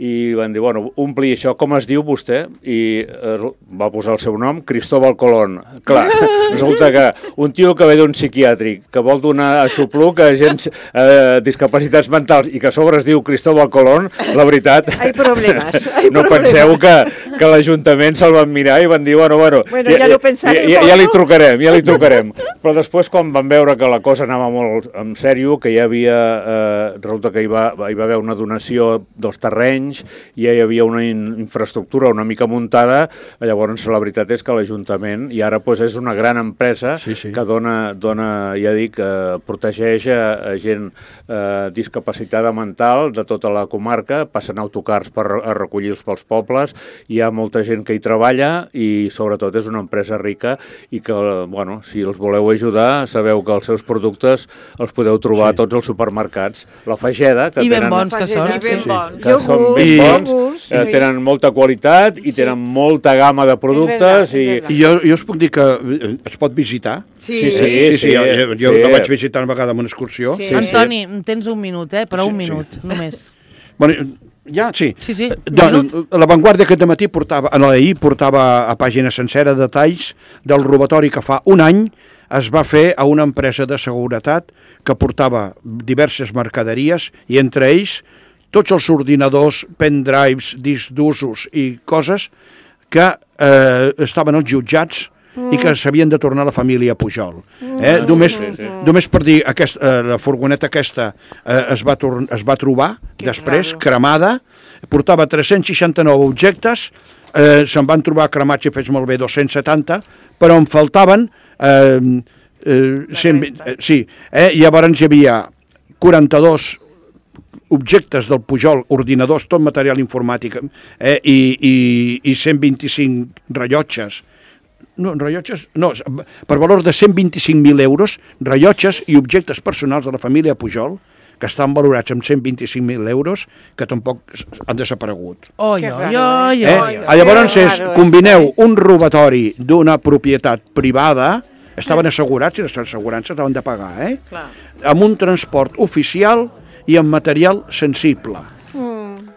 I van dir, bueno, ompli això, com es diu vostè? I eh, va posar el seu nom, Cristóbal Colón. Clar, resulta que un tio que ve d'un psiquiàtric, que vol donar aixopluc a gent eh, discapacitats mentals i que a sobre es diu Cristóbal Colón, la veritat, Hay problemas, hay no problemas. penseu que, que l'Ajuntament se'l van mirar i van dir, bueno, bueno, Bueno, ja lo pensarem, ja, ja, ja li no? trucarem, ja li trucarem. Però després, quan van veure que la cosa anava molt en sèrio, que hi havia, eh, resulta que hi va, hi va haver una donació dels terrenys, i ja hi havia una in, infraestructura una mica muntada, llavors la veritat és que l'Ajuntament, i ara pues, és una gran empresa Sí, sí. que dona, dona, ja dic, eh, protegeix a, a gent eh, discapacitada mental de tota la comarca, passen autocars per a recollir-los pels pobles, hi ha molta gent que hi treballa i sobretot és una empresa rica i que, bueno, si els voleu ajudar, sabeu que els seus productes els podeu trobar Sí. a tots els supermercats. La Fageda, que I ben tenen... bons que són. I ben Sí. bons. que són ben I- bons, Iogurts, eh, sí. tenen molta qualitat i tenen molta gamma de productes verdad, és i, verdad. I jo, jo us puc dir que eh, es pot visitar. Sí, Sí, sí, Sí, sí, jo, jo, jo sí. la vaig visitar una vegada en una excursió. Sí. Sí, sí. Antoni, tens un minut, eh? Però Sí, un sí. minut, només. Bueno, ja, sí. Sí, sí, un Doncs, minut. la Vanguardia aquest matí portava, en l'ahir portava a pàgina sencera detalls del robatori que fa un any es va fer a una empresa de seguretat que portava diverses mercaderies i entre ells tots els ordinadors, pendrives, discs d'usos i coses que eh, estaven als jutjats i que s'havien de tornar a la família Pujol. Eh? Ah, només, sí, sí, sí. només per dir, aquest, eh, la furgoneta aquesta eh, es, va tor es va trobar Que després, raro. cremada, portava tres-cents seixanta-nou objectes, eh, se'n van trobar cremats i fets malbé dos-cents setanta, però en faltaven eh, eh, cent vint, eh, sí, eh, llavors hi havia quaranta-dos objectes del Pujol, ordinadors, tot material informàtic, eh, i, i, i cent vint-i-cinc rellotges, no, rellotges, no, per valor de cent vint-i-cinc mil euros, rellotges i objectes personals de la família Pujol, que estan valorats amb cent vint-i-cinc mil euros, que tampoc han desaparegut. Oi, Que oi, raro, oi, Eh? oi. Ah, Llavors, Que és, raro, combineu un robatori d'una propietat privada, estaven assegurats i les assegurances estaven de pagar, eh? Clar. amb un transport oficial i amb material sensible.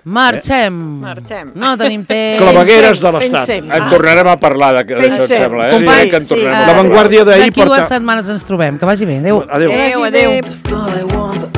Marxem. Marxem. No tenim temps. Clavegueres de l'Estat. Pensem. En tornarem a parlar de- d'això, em Pensem. sembla. Eh? Companys, Sí, que en tornarem sí. a La parlar. Vanguardia d'ahir D'aquí dues porta... setmanes ens trobem. Que vagi bé. Adéu. Adéu. Adéu, adéu. Adéu.